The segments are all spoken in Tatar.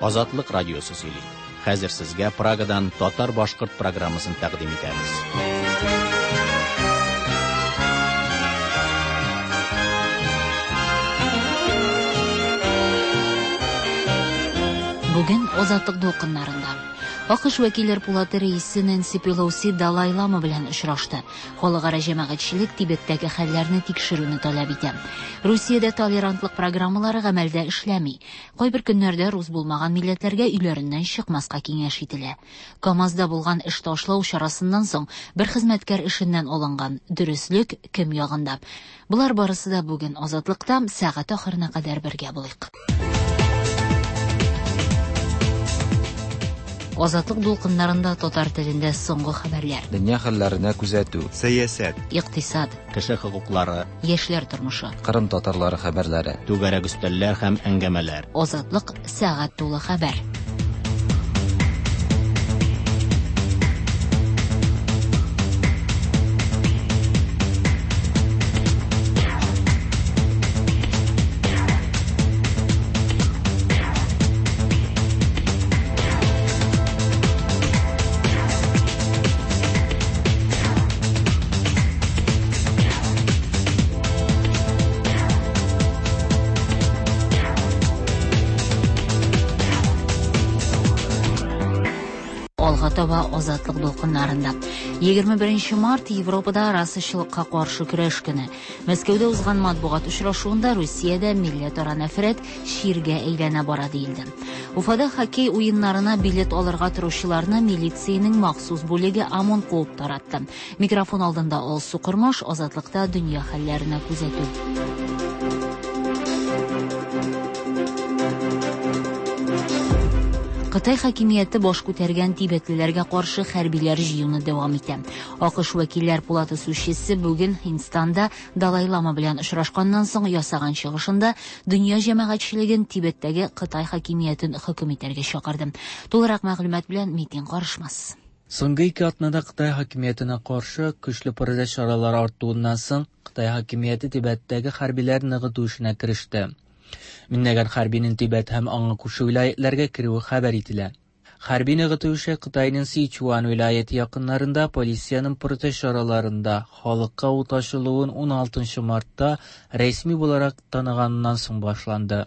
Азатлык радиосы сөйли. Хәзер сезгә Прагадан татар-башкорт программасын тәкъдим итәбез. Бүген Азатлык дулкыннарында АКШ вәкилләр пулаты рәисе Нэнси Пелоси Далай Лама белән очрашты. Халыкара җәмәгатьчелек Тибеттәге хәлләрне тикшерүне таләп итә. Русиядә толерантлык программалары гамәлдә эшләми. Кайбер көннәрдә рус булмаган милләтләргә өйләреннән чыкмаска киңәш ителә. КАМАЗда булган эш ташлау чарасыннан соң бер хезмәткәр эшеннән алынган. Дөреслек кем ягында? Болар барысы да бүген Азатлыкта сәгать ахырына кадәр бергә булыйк. Азатлык дулкыннарында татар телендә соңгы хәбәрләр. Дөнья хәлләренә күзәтү. Сәясәт. Икътисад. Кеше хокуклары. Яшьләр тормышы. Кырым татарлары хәбәрләре. Түгәрәк өстәлләр һәм әңгәмәләр. Азатлык сәгать тулы хәбәр. Алга таба Азатлык дулкыннарында. 21 март Европада расачылыкка каршы көрәш көне. Мәскәүдә узган матбугат очрашуында Русиядә милләтара нәфрәт чиргә әйләнә бара диелде. Уфада хоккей уеннарына билет алырга торучыларны милициянең махсус бүлеге ОМОН куып таратты. Микрофон алдында Алсу Кормаш, Азатлыкта дөнья хәлләренә күзәтү. Кытай хакимияте баш күтәргән тибетлеләргә каршы хәрбиләр җыюны дәвам итә. АКШ вәкилләр палатасы сүзчесе бүген Һиндстанда Далай Лама белән очрашканнан соң ясаган чыгышында дөнья җәмәгатьчелеген Тибеттәге Кытай хакимиятен хөкем итәргә чакырды. Тулырак мәгълүмат белән Митин Карышмас. Соңгы ике атнада Кытай хакимиятенә каршы көчле протест чаралары артуыннан соң Кытай хакимияте Тибеттәге хәрбиләр ныгыту эшенә кереште. Меңләгән хәрбинең Тибет һәм аңа күрше вилаятләргә керүе хәбәр ителә. Хәрби ныгыту эше Кытайның Сичуан вилаяте якыннарында полициянең протест чараларында халыкка ут ачылуын 16 мартта рәсми буларак таныганнан соң башланды.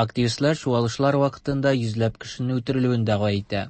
Активистлар чуалышлар вакытында йөзләп кешенең үтерелүен дәгъва итә.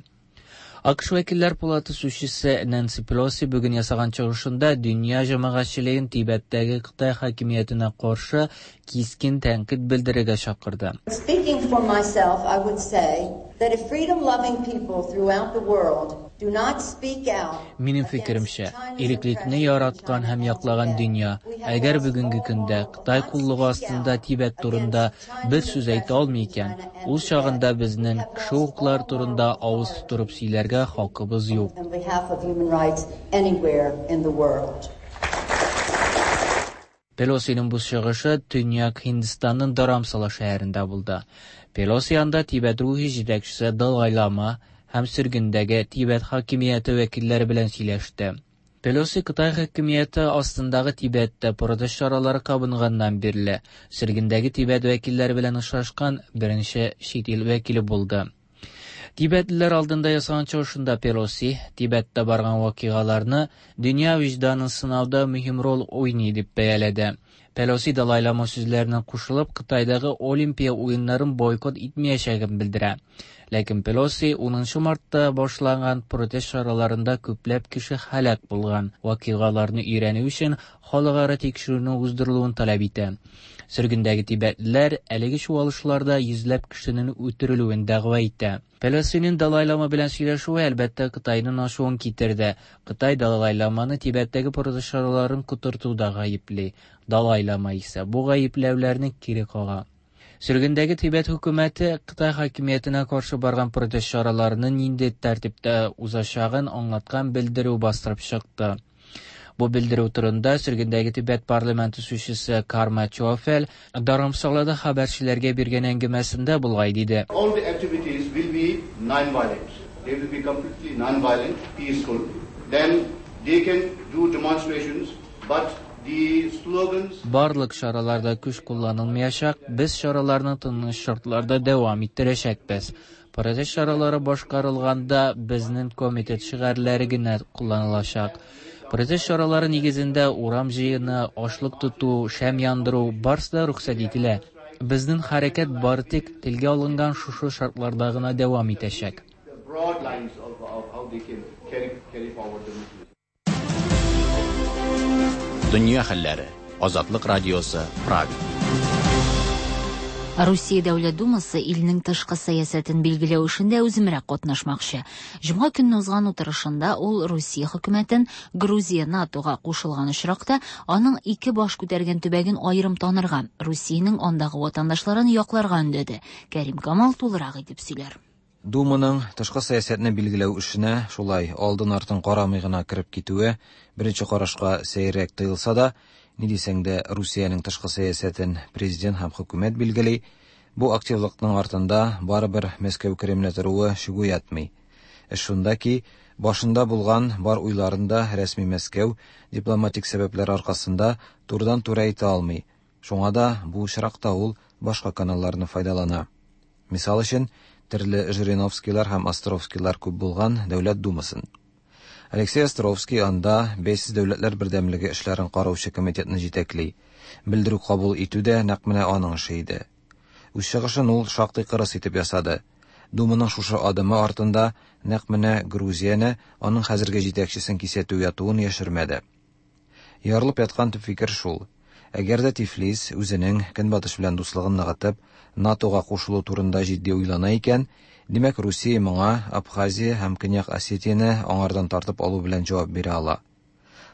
АКШ вәкилләр палаты сүзчесе Нэнси Пелоси бүген ясаган чыгышында дөнья җәмәгатьчелеген Тибеттәге Кытай хакимиятенә каршы кискен тәнкыйть белдерергә чакырды. Speaking for myself, I would say that if freedom-loving people throughout the world do not speak out Минем фикеремчә, иреклекне яраткан һәм яклаган дөнья, әгәр бүгенге көндә Кытай куллыгы астында Тибет турында бер сүз әйтә алмый икән, ул чагында безнең кеше хокуклары турында авыз тутырып сөйләргә хакыбыз юк. on behalf of human rights anywhere in the world. Пелосиның бу чыгышы Төньяк Һиндстанның Dharamsala шәһәрендә булды. Пелоси анда Тибет рухи җитәкчесе Далай Лама һәм сөргендәге Тибет хакимияте вәкилләре белән сөйләште. Пелоси Кытай хакимияте астындагы Тибеттә протест чаралары кабынганнан бирле сөргендәге Тибет вәкилләре белән очрашкан беренче чит ил вәкиле булды. Тибетлеләр алдында ясаган чыгышында Пелоси Тибеттә барган вакыйгаларны дөнья вөҗданын сынауда мөһим роль уйный дип бәяләде. Пелоси Далай Лама сүзләренә кушылып, Кытайдагы Олимпия уеннарын бойкот итмәячәген белдерә. Ләкин Пелоси 10 мартта башланган протест чараларында күпләп кеше һәлак булган вакыйгаларны өйрәнү өчен халыкара тикшерүнең уздырылуын таләп итә. Сөргендәге тибетлеләр әлеге чуалышларда йөзләп кешенең үтерелүен дәгъва итә. Пелосиның Далай Лама белән сөйләшүе әлбәттә Кытайның ачуын китерде. Кытай Далай Ламаны Тибеттәге протест чараларын котыртуда гаепли. Далай Лама исә бу гаепләүләрне кире кага. Сөргендәге Тибет хөкүмәте Кытай хакимиятенә каршы барган протест чараларының нинди тәртиптә узачагын аңлаткан белдерү бастырып чыкты. Бу белдерү турында сөргендәге Тибет парламенты сүзчесе Карма Чофел Dharamsalada хәбәрчеләргә биргән әңгәмәсендә болай диде. All the activities will be non-violent. They will be completely non-violent, peaceful. Then they can do demonstrations, but The slogans Барлык чараларда көч кулланылмаячак, без чараларны тыныч шартларда дәвам иттерәчәкбез. Протест чаралары башкарылганда безнең комитет шигарьләре генә кулланылачак. Протест чаралары нигезендә урам җыены, ачлык тоту, шәм яндыру барысы да рөхсәт ителә. Безнең хәрәкәт бары тик телгә алынган шушы шартларда гына дәвам итәчәк. the broad lines of how they can carry forward the movement. Дөнья хәлләре. Азатлык радиосы, Прага. Русия Дәүләт Думасы илнең тышкы сәясәтен билгеләү эшендә үземрәк катнашмакчы. Җомга көнне узган утырышында ул Русия хөкүмәтен Грузия НАТОга кушылган очракта аның ике баш күтәргән төбәген аерым танырга, Русиянең андагы ватандашларын якларга өндәде. Кәрим Камал тулырак итеп сөйләр. Думаның тышкы сәясәтне билгеләү эшенә шулай алдын-артын карамый гына кереп китүе беренче карашка сәеррәк тоелса да, ни дисәң дә, Русиянең тышкы сәясәтен президент һәм хөкүмәт билгели, бу активлыкның артында барыбер Мәскәү Кремле торуы шик уятмый. Эш шунда ки, башында булган бар уйларын да рәсми Мәскәү дипломатик сәбәпләр аркасында турыдан-туры әйтә алмый. Шуңа да бу очракта ул башка каналларны файдалана. Мисал өчен, төрле Жириновскийлар һәм Островскийлар күп булган Дәүләт Думасын. Алексей Островский анда Бәйсез дәүләтләр бердәмлеге эшләрен караучы комитетны җитәкли. Белдерү кабул итү дә нәкъ менә аның эше иде. Үз чыгышын ул шактый кырыс итеп ясады. Думаның шушы адымы артында нәкъ менә Грузияне, аның хәзерге җитәкчесен кисәтү ятуын яшермәде. Ярылып яткан төп фикер шул. Әгәр дә Тифлис үзенең Көнбатыш белән дуслыгын ныгытып, НАТОга кушылу турында җитди уйлана икән, димәк, Русия моңа Абхазия һәм Көньяк Осетияне аңардан тартып алу белән җавап бирә ала.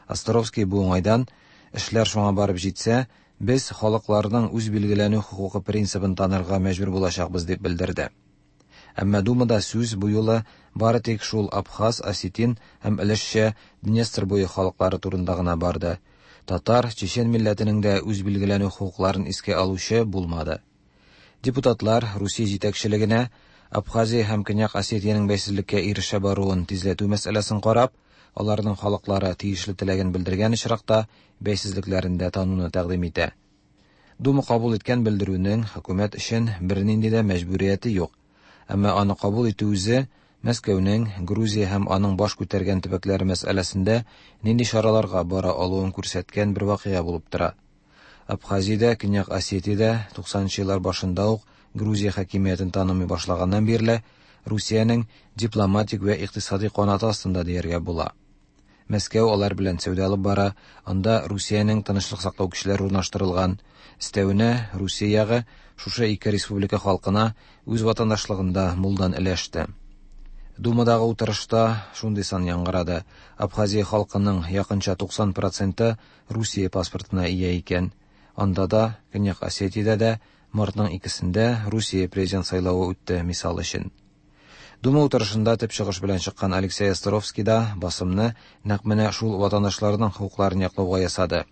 Островский бу уңайдан, эшләр шуңа барып җитсә, без халыкларның үз билгеләнү хокукы принцибын танырга мәҗбүр булачакбыз дип белдерде. Әмма Думада сүз бу юлы бары тик шул абхаз, осетин һәм өлешчә Днестр буе халыклары турында гына барды. Татар, чечен милләтенең дә үз билгеләнү хокукларын искә алучы булмады. Депутатлар Русия җитәкчелегенә Абхазия һәм Көньяк Осетиянең бәйсезлеккә ирешә баруын тизләтү мәсьәләсен карап, аларның халыклары тиешле теләген белдергән очракта бәйсезлекләрен дә тануны тәкъдим итә. Дума кабул иткән белдерүнең хөкүмәт өчен бернинди дә мәҗбүрияте юк. Әмма аны кабул итү үзе Мәскәүнең Грузия һәм аның баш күтәргән төбәкләре мәсьәләсендә нинди чараларга бара алуын күрсәткән бер вакыйга булып тора. Абхазиядә, Көньяк Осетиядә туксанынчы еллар башында ук Грузия хакимиятен танымый башлаганнан бирле Русиянең дипломатик вә икътисади канаты астында дияргә була. Мәскәү алар белән сәүдә алып бара, анда Русиянең тынычлык саклау көчләре урнаштырылган. Өстәвенә, Русия ягы шушы ике республика халкына үз ватандашлыгында мулдан өләште. Думадагы утырышта шундый сан яңгырады. Абхазия халкының якынча туксан проценты Русия паспортына ия икән. Анда да, Көньяк Осетиядә дә мартның икесендә Русия президент сайлавы үтте, мисал өчен. Дума утырышында төп чыгыш белән чыккан Алексей Островский да басымны нәкъ менә шул ватандашларның хокукларын яклауга ясады.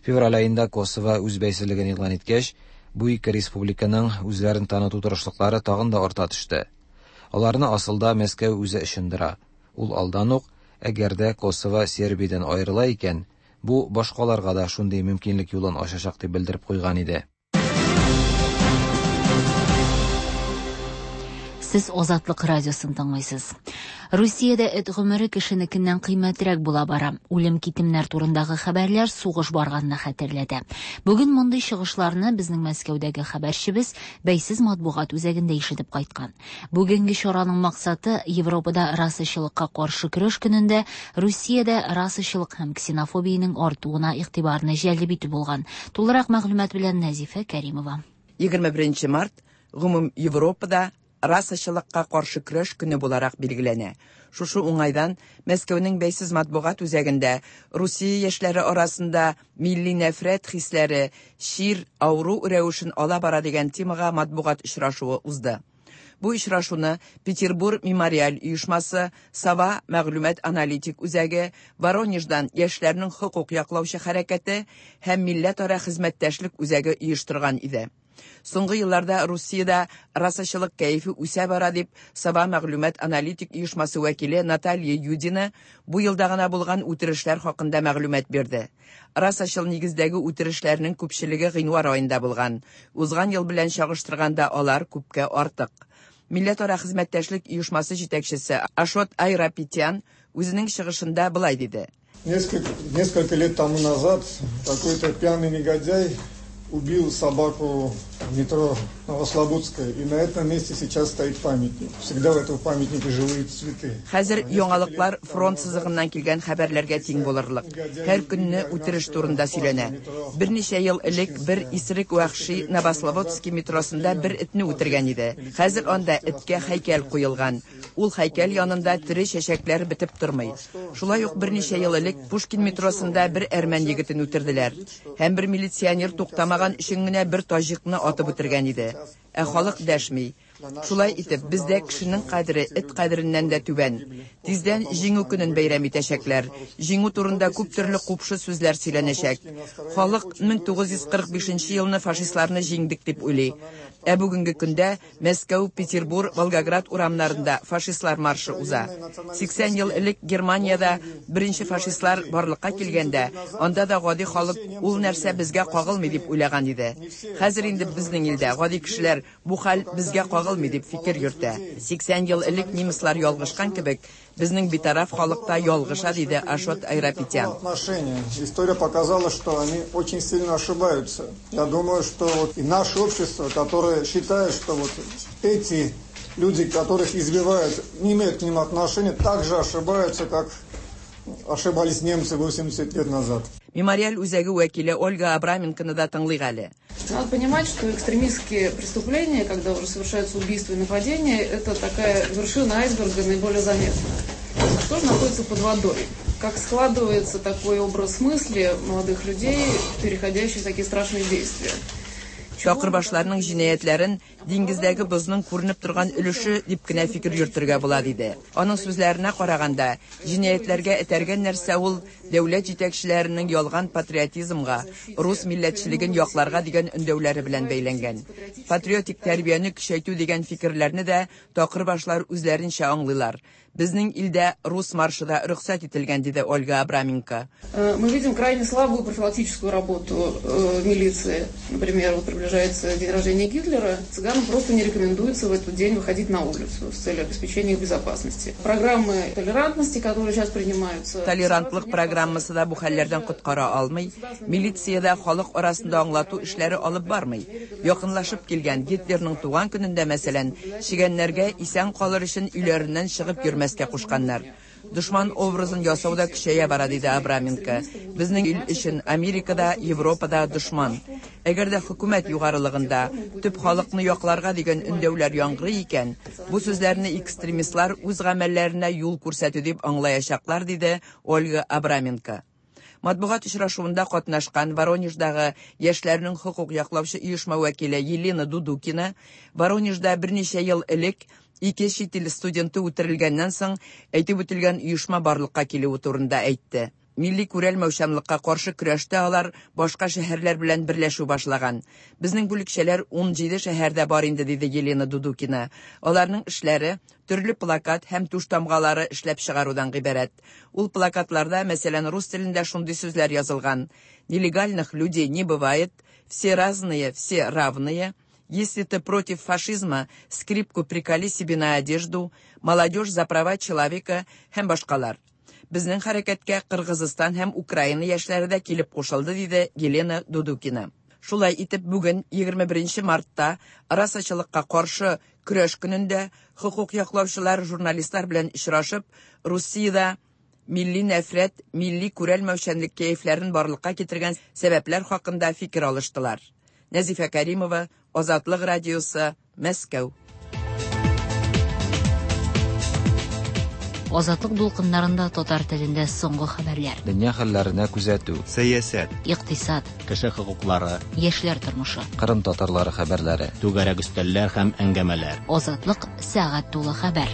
Февраль аенда Косово үз бәйсезлеген игълан иткәч, бу ике республиканың үзләрен таныту тырышлыклары тагын да арта төште. Аларны асылда Мәскәү үзе ычындыра. Ул алдан ук, әгәр дә Косово Сербиядән аерыла икән, бу башкаларга да шундый мөмкинлек юлын ачачак дип белдереп куйган иде. Сез Азатлык радиосын тыңлыйсыз. Русиядә эт гомере кешенекеннән кыйммәтрәк була бара. Үлем-китемнәр турындагы хәбәрләр сугыш барганны хәтерләтә. Бүген мондый чыгышларны безнең Мәскәүдәге хәбәрчебез бәйсез матбугат үзәгендә ишетеп кайткан. Бүгенге чараның максаты Европада расачылыкка каршы көрәш көнендә Русиядә расачылык һәм ксенофобиянең артуына игътибарны җәлеп итү булган. Тулырак мәгълүмат белән Нәзифә Кәримова. Егерме беренче март гомум Европада расачылыкка каршы көрәш көне буларак билгеләнә. Шушы уңайдан Мәскәүнең бәйсез матбугат үзәгендә Русия яшьләре арасында милли нәфрәт хисләре чир, авыру рәвешен ала бара дигән темага матбугат очрашуы узды. Бу очрашуны Петербург мемориаль оешмасы, Сова мәгълүмат аналитик үзәге, Воронеждан яшьләрнең хокук яклаучы хәрәкәте һәм милләтара хезмәттәшлек үзәге оештырган иде. Соңгы елларда Русиядә расачылык кәефе үсә бара дип Сова мәгълүмат аналитик оешмасы вәкиле Наталья Юдина бу елда гына булган үтерешләр хакында мәгълүмат бирде. Расачыл нигездәге үтерешләрнең күпчелеге гыйнвар аенда булган. Узган ел белән чагыштырганда алар күпкә артык. Милләтара хезмәттәшлек оешмасы җитәкчесе Ашот Айрапетян үзенең чыгышында болай диде. Несколько лет тому назад какой-то пьяный негодяй убил собаку в метро Новослободская. И на этом месте сейчас стоит памятник. Всегда в этом памятнике живые цветы. Хәзер яңалыклар фронт сызыгыннан килгән хәбәрләргә тиң булырлык. Һәр көнне үтереш турында сөйләнә. Берничә ел элек бер исерек вәхши Новослободский метросында бер этне үтергән иде. Хәзер анда эткә һәйкәл куелган. Ул һәйкәл янында тере чәчәкләр бетеп тормый. Шулай ук берничә ел элек Пушкин метросында бер әрмән егетен үтерделәр. Һәм бер милиционер туктамаган өчен генә бер таҗикны атып үтергән иде. Ә халык дәшми. Шулай итеп, бездә кешенең кадере эт кадереннән дә түбән. Тиздән Җиңү көнен бәйрәм итәчәкләр. Җиңү турында күп төрле купшы сүзләр сөйләнәчәк. Халык 1945 елны фашистларны җиңдек дип уйлый. Ә бүгенге көндә Мәскәү, Петербур, Волгоград урамнарында фашистлар маршы уза. 80 ел элек Германиядә беренче фашистлар барлыкка килгәндә, анда да гади халык ул нәрсә безгә кагылмый дип уйлаган иде. Хәзер инде безнең илдә гади кешеләр бу хәл безгә кагылмый дип фикер йөртә. 80 ел элек немецлар ялгышкан кебек, безнең битараф халык та ялгыша, диде Ашот Айрапетян. Отношение. История показала, что они очень сильно ошибаются. Я думаю, что вот и наше общество, которое считает, что вот эти люди, которых избивают, не имеют к ним отношения, также ошибаются, как ошибались немцы 80 лет назад. Мемориаль үзәге вәкиле Ольга Абраменконы да тыңлыйк әле. Надо понимать, что экстремистские преступления, когда уже совершаются убийства и нападения, это такая вершина айсберга наиболее заметная. А что же находится под водой? Как складывается такой образ мысли молодых людей, переходящий в такие страшные действия? Чакырбашларның җинаятьләрен диңгездәге бозның күренеп торган өлеше дип кенә фикер йөртергә була, диде. Аның сүзләренә караганда, җинаятьләргә этәргән нәрсә ул дәүләт җитәкчеләренең ялган патриотизмга, рус милләтчелеген якларга дигән өндәүләре белән бәйләнгән. Патриотик тәрбияне көчәйтү дигән фикерләрне дә такырбашлар үзләренчә аңлыйлар. Безнең илдә рус маршы да рөхсәт ителгән, диде Ольга Абраменко. Мы видим крайне слабую профилактическую работу милиции. Например, вот приближается день рождения Гитлера, цыганам просто не рекомендуется в этот день выходить на улицу с целью обеспечения их безопасности. Программы толерантности, которые сейчас принимаются... Толерантлык программасы да бу хәлләрдән коткара алмый. Милиция дә халык арасында аңлату эшләре алып бармый. Якынлашып килгән Гитлерның туган көнендә, мәсәлән, чегәннәргә исән калыр өчен өйләреннән чыгып йөрмәскә кушканнар. Дошман образын ясау да көчәя бара, диде Абраменко. Безнең ил өчен Америкада, Европада дошман. Әгәр дә хөкүмәт югарылыгында төп халыкны якларга дигән өндәүләр яңгырый икән, бу сүзләрне экстремистлар үз гамәлләренә юл күрсәтү дип аңлаячаклар, диде Ольга Абраменко. Матбугат очрашуында катнашкан Воронеждагы яшьләрнең хокук яклаучы оешма вәкиле Елена Дудукина Воронежда берничә ел элек ике чит ил студенты үтерелгәннән соң әйтеп үтелгән оешма барлыкка килүе турында әйтте. Милли күрәлмәүчәнлеккә каршы көрәштә алар башка шәһәрләр белән берләшү башлаган. Безнең бүлекчәләр 17 шәһәрдә бар инде, диде Елена Дудукина. Аларның эшләре төрле плакат һәм туш тамгалары эшләп чыгарудан гыйбарәт. Ул плакатларда, мәсәлән, рус телендә шундый сүзләр язылган: Нелегальных людей не бывает, все разные, все равные. Если ты против фашизма, скрипку приколи себе на одежду, молодежь за права человека һәм башкалар. Безнең хәрәкәткә Кыргызстан һәм Украина яшьләре дә килеп кушылды, диде Елена Дудукина. Шулай итеп, бүген 21 мартта расачылыкка каршы көрәш көнендә хокук яклаучылар журналистлар белән очрашып, Русиядә милли нәфрәт, милли күрәлмәүчәнлек кәефләрен барлыкка китергән сәбәпләр хакында фикер алыштылар. Нәзифә Каримова, Азатлык радиосы, Мәскәү. Азатлык дулкыннарында татар телендә соңгы хәбәрләр. Дөнья хәлләренә күзәтү. Сәясәт. Икътисад. Кеше хокуклары. Яшьләр тормышы. Кырым татарлары хәбәрләре. Түгәрәк өстәлләр һәм әңгәмәләр. Азатлык сәгать тулы хәбәр.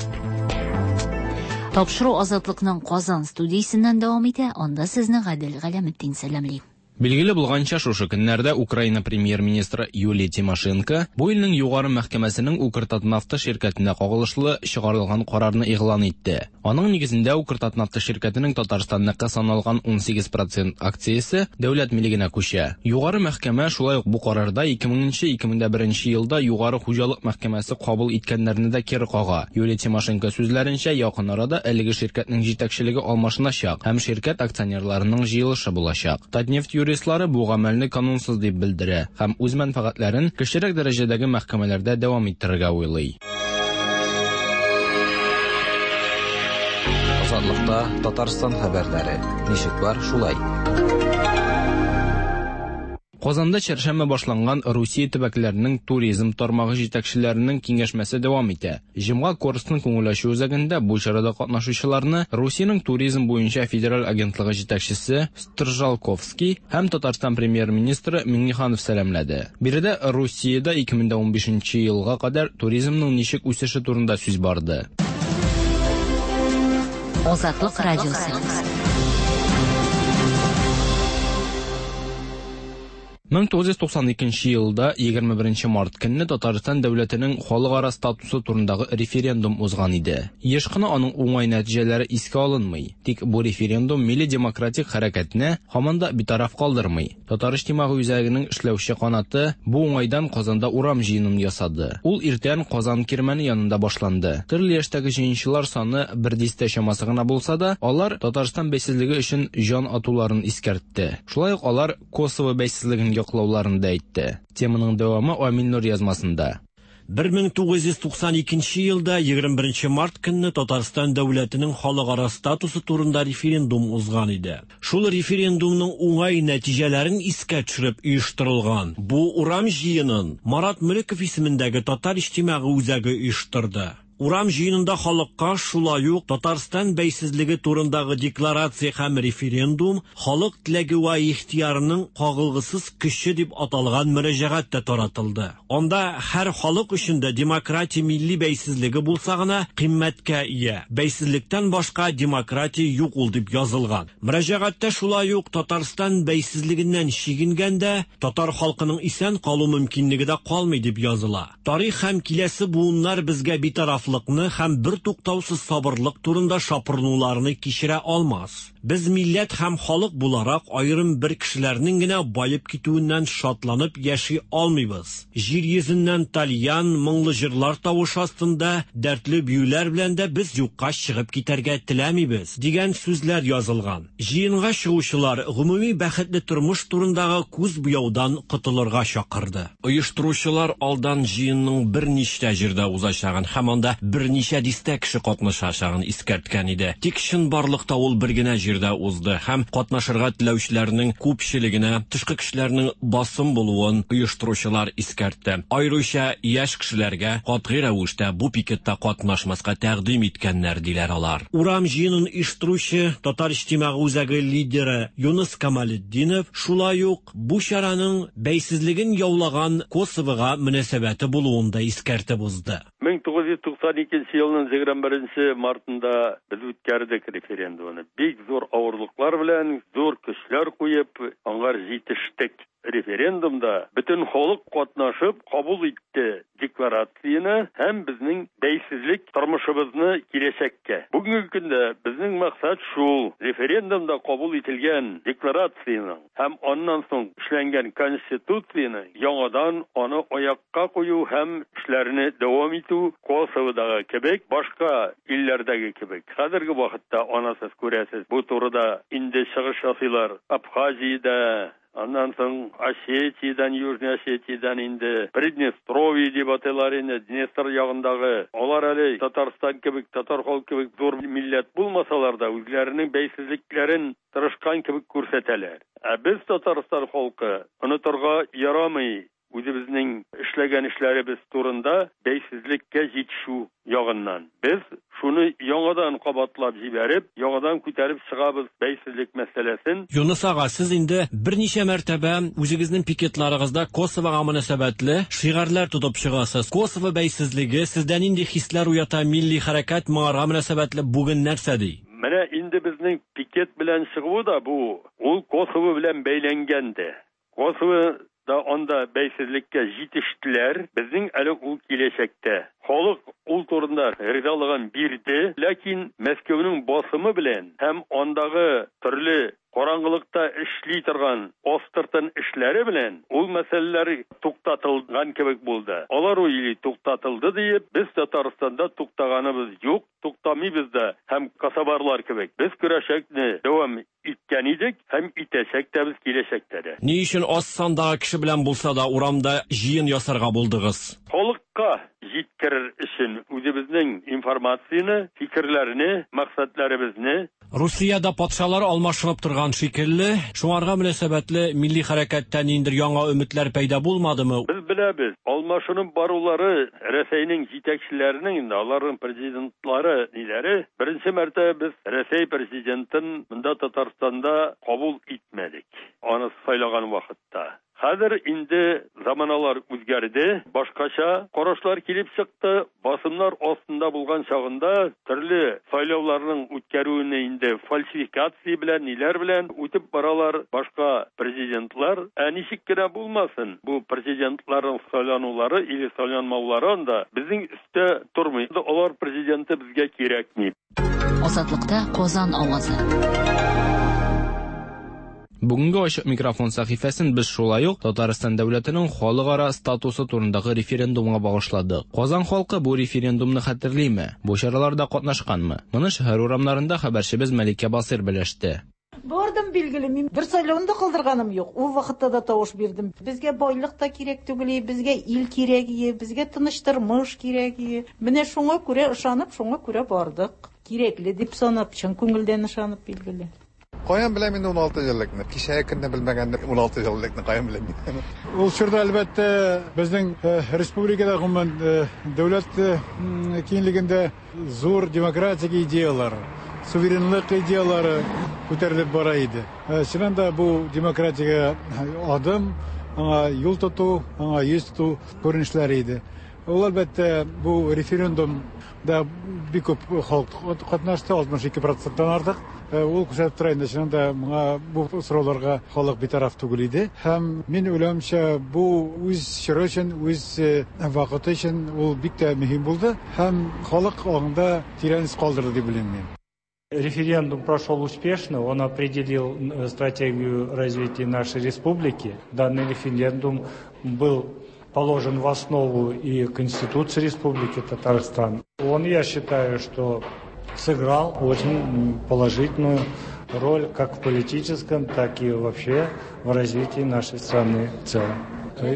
Тапшыру Азатлыкның Казан студиясеннән дәвам итә. Анда сезне Гадел Галәметдин сәламли. Билгеле булганча, шушы көннәрдә Украина премьер-министры Юлия Тимошенко бу илнең югары мәхкәмәсенең Укртатнафта ширкәтенә кагылышлы чыгарылган карарны игълан итте. Аның нигезендә Укртатнафта ширкәтенең Татарстанныкы саналган 18 процент акциясе дәүләт милегенә күчә. Югары мәхкәмә шулай ук бу карарда 2000-2001 елда Югары хуҗалык мәхкәмәсе кабул иткәннәрне дә кире кага. Юлия Тимошенко сүзләренчә, якын арада әлеге ширкәтнең җитәкчелеге алмашыначак һәм ширкәт акционерларының җыелышы булачак. Татнефть юристлары бу гамәлне канунсыз дип белдерә һәм үз мәнфәгатьләрен кечерәк дәрәҗәдәге мәхкәмәләрдә дәвам иттерергә уйлый. Азатлыкта Татарстан хәбәрләре. Ничек бар, шулай. Казанда чәршәмбе башланган Русия төбәкләренең туризм тармагы җитәкчеләренең киңәшмәсе дәвам итә. Җомга Корстон күңел ачу үзәгендә бу чарада катнашучыларны Русиянең туризм буенча федераль агентлыгы җитәкчесе Стржалковский һәм Татарстан премьер-министры Миңнеханов сәламләде. Биредә Русиядә 2015 елга кадәр туризмның ничек үсеше турында сүз барды. Азатлык радиосы. 1992 елда 21 март көнне Татарстан дәүләтенең халыкара статусы турындагы референдум узган иде. Еш кына аның уңай нәтиҗәләре искә алынмый. Тик бу референдум милли демократик хәрәкәтне һаман да битараф калдырмый. Татар иҗтимагый үзәгенең эшләүче канаты бу уңайдан Казанда урам җыенын ясады. Ул иртән Казан кирмәне янында башланды. Төрле яшьтәге җыенчылар саны бер дистә чамасы гына булса да, алар Татарстан бәйсезлеге өчен җан атуларын искәртте. Шулай ук алар Косово бәйсезлеген яклауларын да әйтте. Теманың дәвамы Амил Нур язмасында. 1992 елда 21 март көнне Татарстан дәүләтенең халыкара статусы турында референдум узган иде. Шул референдумның уңай нәтиҗәләрен искә төшереп оештырылган бу урам җыенын Марат Мөлеков исемендәге Татар иҗтимагый үзәге оештырды. Урам җыенында халыкка шулай ук Татарстан бәйсезлеге турындагы декларация һәм референдум халык теләге вә ихтыярының кагылгысыз көче дип аталган мөрәҗәгать тә таратылды. Анда һәр халык өчен дә демократия милли бәйсезлеге булса гына кыйммәткә ия. Бәйсезлектән башка демократия юк ул дип язылган. Мөрәҗәгатьтә шулай ук Татарстан бәйсезлегеннән чигенгәндә татар халкының исән калу мөмкинлеге дә калмый дип языла. Тарих һәм киләсе буыннар безгә битарафлыкны һәм бертуктаусыз сабырлык турында шапырынуларны кичерә алмас. Без милләт һәм халык буларак аерым бер кешеләрнең генә баеп китүеннән шатланып яши алмыйбыз. Җир йөзеннән тальян, моңлы җырлар тавышы астында дәртле биюләр белән дә без юкка чыгып китәргә теләмибез, дигән сүзләр язылган. Җыенга чыгучылар гомуми бәхетле тормыш турындагы күз буяудан котылырга чакырды. Оештыручылар алдан җыенның берничә җирдә узачагын һәм анда берничә дистә кеше катнашачагын искәрткән иде. Тик чынбарлыкта ул бер генә җирдә узды һәм катнашырга теләүчеләрнең күпчелегенә тышкы көчләрнең басым булуын оештыручылар искәртте. Аеруча яшь кешеләргә катгый рәвештә бу пикетта катнашмаска тәкъдим иткәннәр, диләр алар. Урам җыенын оештыручы Татар иҗтимагый үзәге лидеры Юныс Камалетдинов шулай ук бу чараның бәйсезлеген яулаган Косовога мөнәсәбәте булуын да искәртеп узды. 1992 елның 21 мартында без үткәрдек референдумны. Бик зур авырлыклар белән, зур көчләр куеп, аңар җитештек. Референдумда бөтен халык катнашып кабул итте декларацияне һәм безнең бәйсезлек тормышыбызны киләчәккә. Бүгенге көндә безнең максат шул: референдумда кабул ителгән декларацияның һәм аннан соң эшләнгән конституцияне яңадан аны аякка кую һәм эшләрне дәвам итү Косоводагы кебек, башка илләрдәге кебек. Хәзерге вакытта аны сез күрәсез, бу турыда инде чыгыш ясыйлар Абхазиядә, аннан соң Осетиядән, Южный Осетиядән инде Приднестровье дип атыйлар инде, Днестр ягындагы. Алар әле Татарстан кебек, татар халкы кебек зур милләт булмасалар да, үзләренең бәйсезлекләрен тырышкан кебек күрсәтәләр. Ә без Татарстан халкы онытырга ярамый үзебезнең эшләгән эшләребез турында бәйсезлеккә җитешү ягыннан. Без шуны яңадан кабатлап җибәреп, яңадан күтәреп чыгабыз бәйсезлек мәсьәләсен. Юныс ага, сез инде берничә мәртәбә үзегезнең пикетларыгызда Косовога мөнәсәбәтле шигарьләр тотып чыгасыз. Косово бәйсезлеге сездә нинди хисләр уята, милли хәрәкәт моңарга мөнәсәбәтле бүген нәрсә ди? Менә инде безнең пикет белән чыгуы да бу, ул Косово белән бәйләнгән дә. Косово да анда бәйсезлеккә җитештеләр, безнең әле ул киләчәктә. Халык ул турында ризалыгын бирде, ләкин Мәскәүнең басымы белән һәм андагы төрле караңгылыкта эшли торган астыртын эшләре белән ул мәсьәләләр туктатылган кебек булды. Алар уйлый, туктатылды диеп, без Татарстанда туктаганыбыз юк, туктамыйбыз да һәм кособарлар кебек без көрәшәкне дәвам иткән идек һәм итәчәк тә без киләчәктә дә. Ни өчен аз сандагы кеше белән булса да урамда җыен ясарга булдыгыз? Халыкка җиткерер өчен үзебезнең информацияне, фикерләрне, максатларыбызны. Русиядә патшалар алмашынып торган шикелле, шуңарга мөнәсәбәтле милли хәрәкәттә ниндидер яңа өметләр пәйда булмадымы? Без беләбез, алмашынып барулары Рәсәйнең җитәкчеләренең инде, аларның президентлары ниләре, беренче мәртәбә без Рәсәй президентын монда Татарстанда кабул итмәдек, аны сайлаган вакытта. Хәзер инде заманалар үзгәрде, башкача карашлар килеп чыкты. Басымнар астында булган чагында төрле сайлауларның үткәрүне инде фальсификация белән, ниләр белән үтеп баралар башка президентлар. Ә ничек кенә булмасын, бу президентларның сайланулары или сайланмаулары анда безнең өстә тормый. Алар президенты безгә кирәкми. Азатлыкта Казан авазы. Бүгенге ачык микрофон сәхифәсен без шулай ук Татарстан дәүләтенең халыкара статусы турындагы референдумга багышладык. Казан халкы бу референдумны хәтерлиме? Бу чараларда катнашканмы? Моны шәһәр урамнарында хәбәрчебез Мәликә Басыйр белеште. Бардым, билгеле, мин бер сайлауны да калдырганым юк. Ул вакытта да тавыш бирдем. Безгә байлык та кирәк түгел, безгә ил кирәк, безгә тыныч тормыш кирәк. Менә шуңа күрә ышанып, шуңа күрә бардык. Кирәкле дип санап, чын күңелдән ышанып, билгеле. Каян беләм инде 16 еллыкны? Кичәге көнне белмәгәнне 16 еллыкны каян беләм мин? Ул чорда, әлбәттә, безнең республикада, гомумән, дәүләт киңлегендә зур демократик идеялар, суверенлык идеялары күтәрелеп бара иде. Чыннан да бу демократиягә адым, аңа юл тоту, аңа йөз тоту күренешләре иде. Ул, әлбәттә, бу референдумда бик күп халык катнашты, 62 проценттан артык. Ул күрсәтеп тора инде, чыннан да моңа бу сорауларга халык битараф түгел иде. Һәм мин уйлавымча, бу үз чоры өчен, үз вакыты өчен ул бик тә мөһим булды һәм халык аңында тирән эз калдырды дип уйлыйм мин. Референдум прошел успешно, он определил стратегию развития нашей республики. Данный референдум был положен в основу и Конституции Республики Татарстан. Он, я считаю, что сыграл очень положительную роль как в политическом, так и вообще в развитии нашей страны в целом.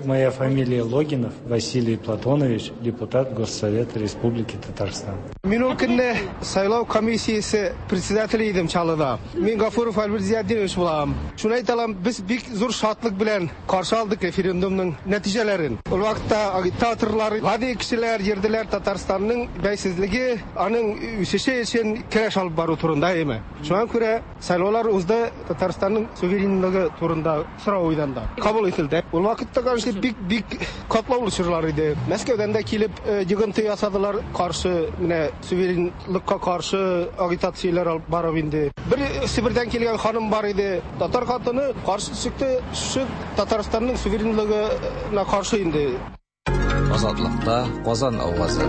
Моя фамилия Логинов Василий Платонович, депутат Госсовета Республики Татарстан. Мин ул көнне сайлау комиссиясе председателе идем Чаллыда. Мин Гафуров Альберт Зиятдинович булам. Шуны әйтә алам, без бик зур шатлык белән каршы алдык референдумның нәтиҗәләрен. Ул вакытта агитаторлар, гади кешеләр йөрделәр Татарстанның бәйсезлеге, аның үсеше өчен көрәш алып бару турында, әйеме? Шуңа күрә сайлаулар узды, Татарстанның суверенлыгы турында сорау уйданда кабул ителде. Ул вакытта, конечно, бик-бик катлаулы чорлар иде. Мәскәүдән дә килеп йогынты ясадылар, каршы, менә суверенлыкка каршы агитацияләр алып барып инде. Бер Себердән килгән ханым бар иде, татар хатыны каршы чыкты, шушы Татарстанның суверенлыгына каршы инде. Азатлыкта Казан авазы.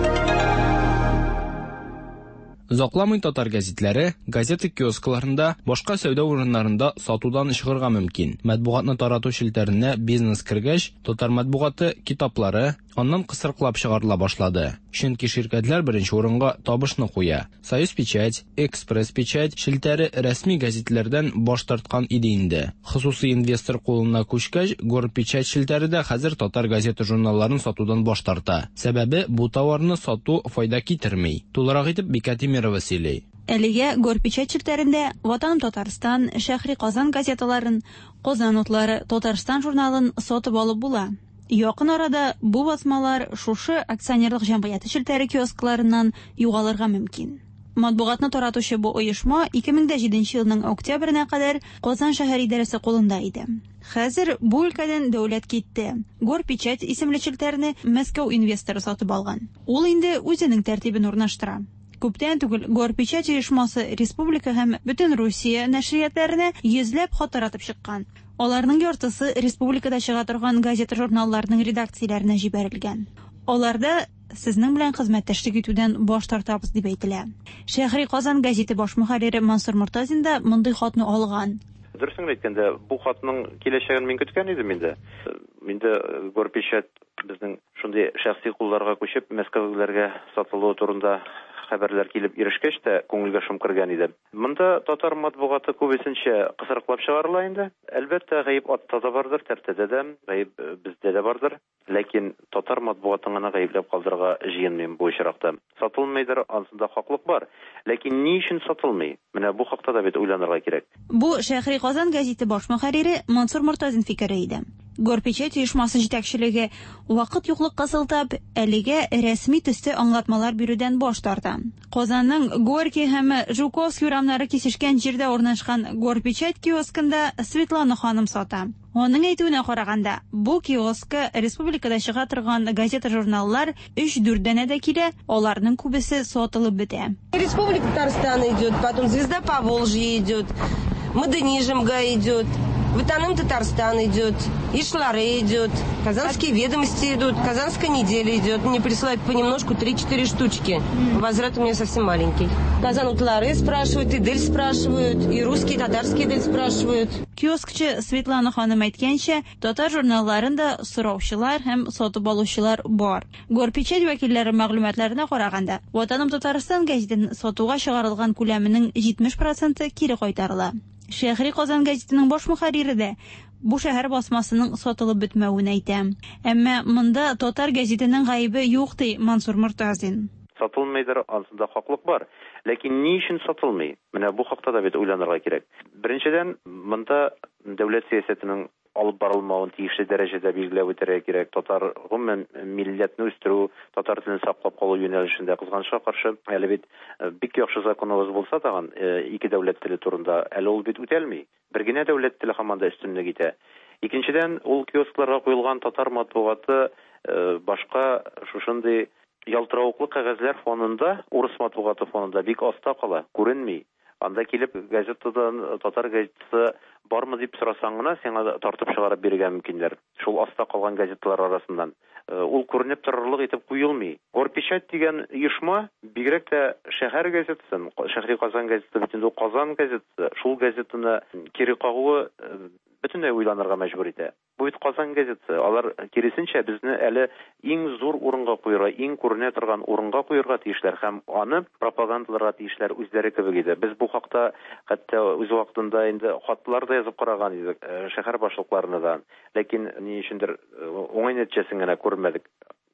Озакламый татар гәзитләре газета киоскларында, башка сәүдә урыннарында сатудан чыгарга мөмкин. Матбугатны тарату челтәренә бизнес кергәч, татар матбугаты китаплары аннан кысрыклап чыгарыла башлады. Чөнки ширкәтләр беренче урынга табышны куя. Союз печать, Экспресс печать челтәре рәсми гәзитләрдән баш тарткан иде инде. Хосусый инвестор кулына күчкәч, Горпечать челтәре дә хәзер татар газета журналларын сатудан баш тарта. Сәбәбе бу товарны сату файда китерми. Тулырак итеп Бикә Тимирова сөйли. Әлегә Горпечать челтәрендә Ватаным Татарстан, Шәһри Казан газеталарын, Казан утлары, Татарстан журналын сатып алып була. Якын арада бу басмалар шушы акционерлык җәмгыяте челтәре киоскларыннан югалырга мөмкин. Матбугатны таратучы бу оешма 2007 елның октябренә кадәр Казан шәһәр идарәсе кулында иде. Хәзер бу өлкәдән дәүләт китте. Горпечать исемле челтәрне Мәскәү инвесторы сатып алган. Ул инде үзенең тәртибен урнаштыра. Күптән түгел Горпечать оешмасы республика һәм бөтен Русия нәшриятләренә йөзләп хат таратып чыккан. Аларның яртысы республикада чыга торган газета-журналларның редакцияләренә җибәрелгән. Аларда сезнең белән хезмәттәшлек итүдән баш тартабыз дип әйтелә. Шәһри Казан гәзите баш мөхәррире Мансур Мортазин да мондый хатны алган. Дөресен генә әйткәндә, бу хатның киләчәген мин көткән идем инде. Инде Горпечать безнең шундый шәхси кулларга күчеп, мәскәүлеләргә сатылуы турында хәбәрләр килеп ирешкәч тә, күңелгә шом кергән иде. Монда татар матбугаты күбесенчә кысрыклап чыгарыла инде. Әлбәттә, гаеп атта да бардыр, тәртәдә дә, гаеп бездә дә бардыр. Ләкин татар матбугатын гына гаепләп калдырырга җыенмыйм бу очракта. Сатылмыйдыр, ансында хаклык бар. Ләкин ни өчен сатылмый? Менә бу хакта да бит уйланырга кирәк. Бу Шәһри Казан гәзите баш мөхәррире Мансур Мортазин фикере иде. Горпечать оешмасы җитәкчелеге, вакыт юклыкка сылтап, әлегә рәсми төстә аңлатмалар бирүдән баш тарта. Казанның Горький һәм Жуковский урамнары кисешкән җирдә урнашкан Горпечать киоскында Светлана ханым сата. Аның әйтүенә караганда, бу киоскка республикада чыга торган газета-журналлар өч-дүрт данәдә килә, аларның күбесе сатылып бетә. Республика Татарстан идет, потом Звезда Поволжья идет, Модернизмга идет, Ватаным Татарстан идет, Ишлары идет, Казанские ведомости идут, Казанская неделя идет. Мне присылают понемножку 3-4 штучки. Возврат у меня совсем маленький. Казан Утлары спрашивают, Идель спрашивают, и русские, и татарские Идель спрашивают. Киоскчы Светлана ханым әйткәнчә, татар журналларын да сораучылар һәм сатып алучылар бар. Горпечать вәкилләре мәгълүматларына караганда, Ватаным Татарстан гәзитен сатуга чыгарылган күләменең 70 проценты кире кайтарыла. Шәһри Казан гәзитенең баш мөхәррире дә бу шәһәр басмасының сатылып бетмәвен әйтә. Әмма монда татар гәзитенең гаебе юк, ди Мансур Мортазин. Сатылмыйдыр, ансында хаклык бар. Ләкин ни өчен сатылмый? Менә бу хакта да бит уйланырга кирәк. Беренчедән, монда дәүләт сәясәтенең алып барылмавын тиешле дәрәҗәдә билгеләп үтәргә кирәк. Татар, гомумән, милләтне үстерү, татар телен саклап калу юнәлешендә, кызганычка каршы, әле бит бик яхшы законыбыз булса тагын, ике дәүләт теле турында, әле ул бит үтәлми. Бер генә дәүләт теле һаман да өстенлек итә. Икенчедән, ул киоскларга куелган татар матбугаты башка шушындый ялтыравыклы кәгазьләр фонында, урыс матбугаты фонында бик аста кала, күренми. Анда килеп газетадан татар газетасы бармы дип сорасаң гына, сиңа тартып чыгарып бирергә мөмкиннәр. Шул аста калган газеталар арасыннан. Ул күренеп торырлык итеп куелмый. Горпечать дигән оешма бигрәк тә шәһәр газетасын, Шәһри Казан газетасы бит инде ул Казан газетасы, шул газетаны кире кагуы бөтенләй уйланырга мәҗбүр итә. Бу бит Казан газетасы. Алар, киресенчә, безне әле иң зур урынга куерга, иң күренә торган урынга куерга тиешләр һәм аны пропагандаларга тиешләр үзләре кебек иде. Без бу хакта хәтта үз вакытында инде хатлар да язып караган идек шәһәр башлыкларына да. Ләкин ни өчендер уңай нәтиҗәсен генә күрмәдек.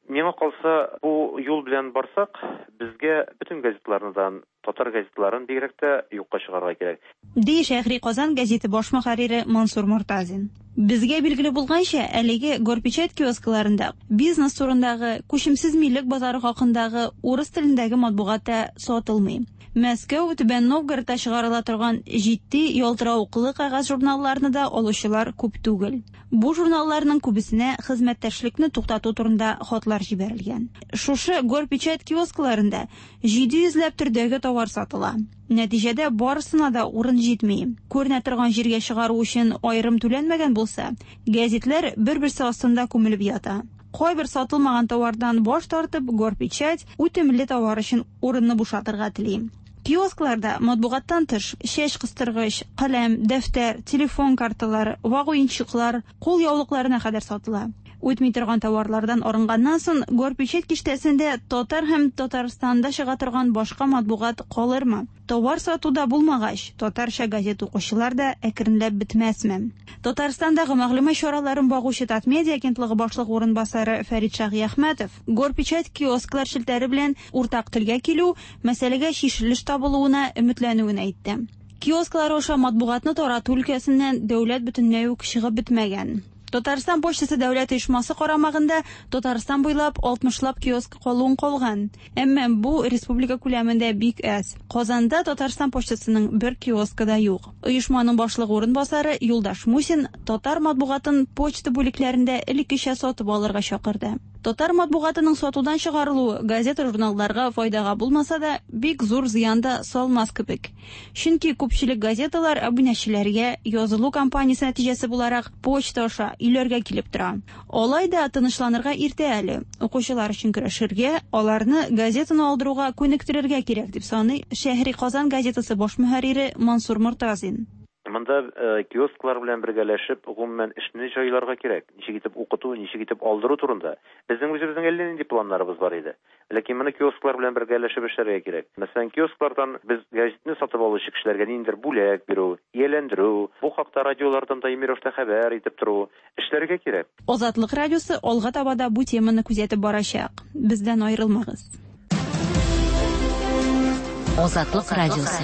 Миңа калса, бу юл белән барсак, безгә бөтен газеталарны да, татар газеталарын бигрәк тә юкка чыгарырга кирәк. Ди Шәһри Казан гәзите баш мөхәррире Мансур Мортазин. Безгә билгеле булганча, әлеге Горпечать киоскларында бизнес турындагы, күчемсез милек базары хакындагы урыс телендәге матбугат та сатылмый. Мәскәү, Түбән Новгородта чыгарыла торган җитди, ялтыравыклы кәгазь журналларны да алучылар күп түгел. Бу журналларның күбесенә хезмәттәшлекне туктату турында хатлар җибәрелгән. Шушы Горпечать киоскларында 700 ләп төрдәге товар сатыла. Нәтиҗәдә барысына да урын җитми. Күренә торган җиргә чыгару өчен аерым түләнмәгән булса, гәзитләр бер-берсе астында күмелеп ята. Кайбер сатылмаган товардан баш тартып, Горпечать үтемле товар өчен урынны бушатырга тели. Киоскларда матбугаттан тыш чәч кыстыргыч, каләм, дәфтәр, телефон карталары, вак уенчыклар, кул яулыкларына кадәр сатыла. Үтми торган товарлардан арынганнан соң, Горпечать киштәсендә татар һәм Татарстанда чыга торган башка матбугат калырмы? Товар сатуда булмагач, татарча газет укучылар да әкренләп бетмәсме? Татарстандагы мәгълүмат чараларын багучы Татмедиа агентлыгы башлыгы урынбасары Фәрит Шаһиәхмәтов Горпечать киосклар челтәре белән уртак телгә килү, мәсьәләгә чишелеш табылуына өметләнүен әйтте. Киосклар аша матбугатны тарату өлкәсеннән дәүләт бөтенләй үк чыгып бетмәгән. Татарстан почтасы дәүләт оешмасы карамагында Татарстан буйлап 60лап киоск калуын калган. Әмма бу республика күләмендә бик әз. Казанда Татарстан почтасының бер киоскы да юк. Оешманың башлыгы урынбасары Юлдаш Мусин татар матбугатын почта бүлекләрендә элеккечә сатып алырга чакырды. Татар матбугатының сатудан чыгарылуы газета-журналларга файдага булмаса да, бик зур зыян да салмас кебек. Чөнки күпчелек газеталар абунәчеләргә язылу кампаниясе нәтиҗәсе буларак почта аша өйләргә килеп тора. Алай да тынычланырга иртә әле. Укучылар өчен көрәшергә, аларны газетаны алдыруга күнектерергә кирәк, дип саный Шәһри Казан газетасы баш мөхәррире Мансур Мортазин. Монда киосклар белән бергәләшеп, гомумән, эшне җайларга кирәк. Ничек итеп укыту, ничек итеп алдыру турында. Безнең үзебезнең әллә нинди планнарыбыз бар иде. Ләкин моны киосклар белән бергәләшеп эшләргә кирәк. Мәсәлән, киосклардан без гәзитне сатып алучы кешеләргә ниндидер бүләк бирү, ияләндерү, бу хакта радиолардан даими рәвештә хәбәр итеп тору, эшләргә кирәк. Азатлык радиосы алга таба да бу теманы күзәтеп барачак. Бездән аерылмагыз. Азатлык радиосы.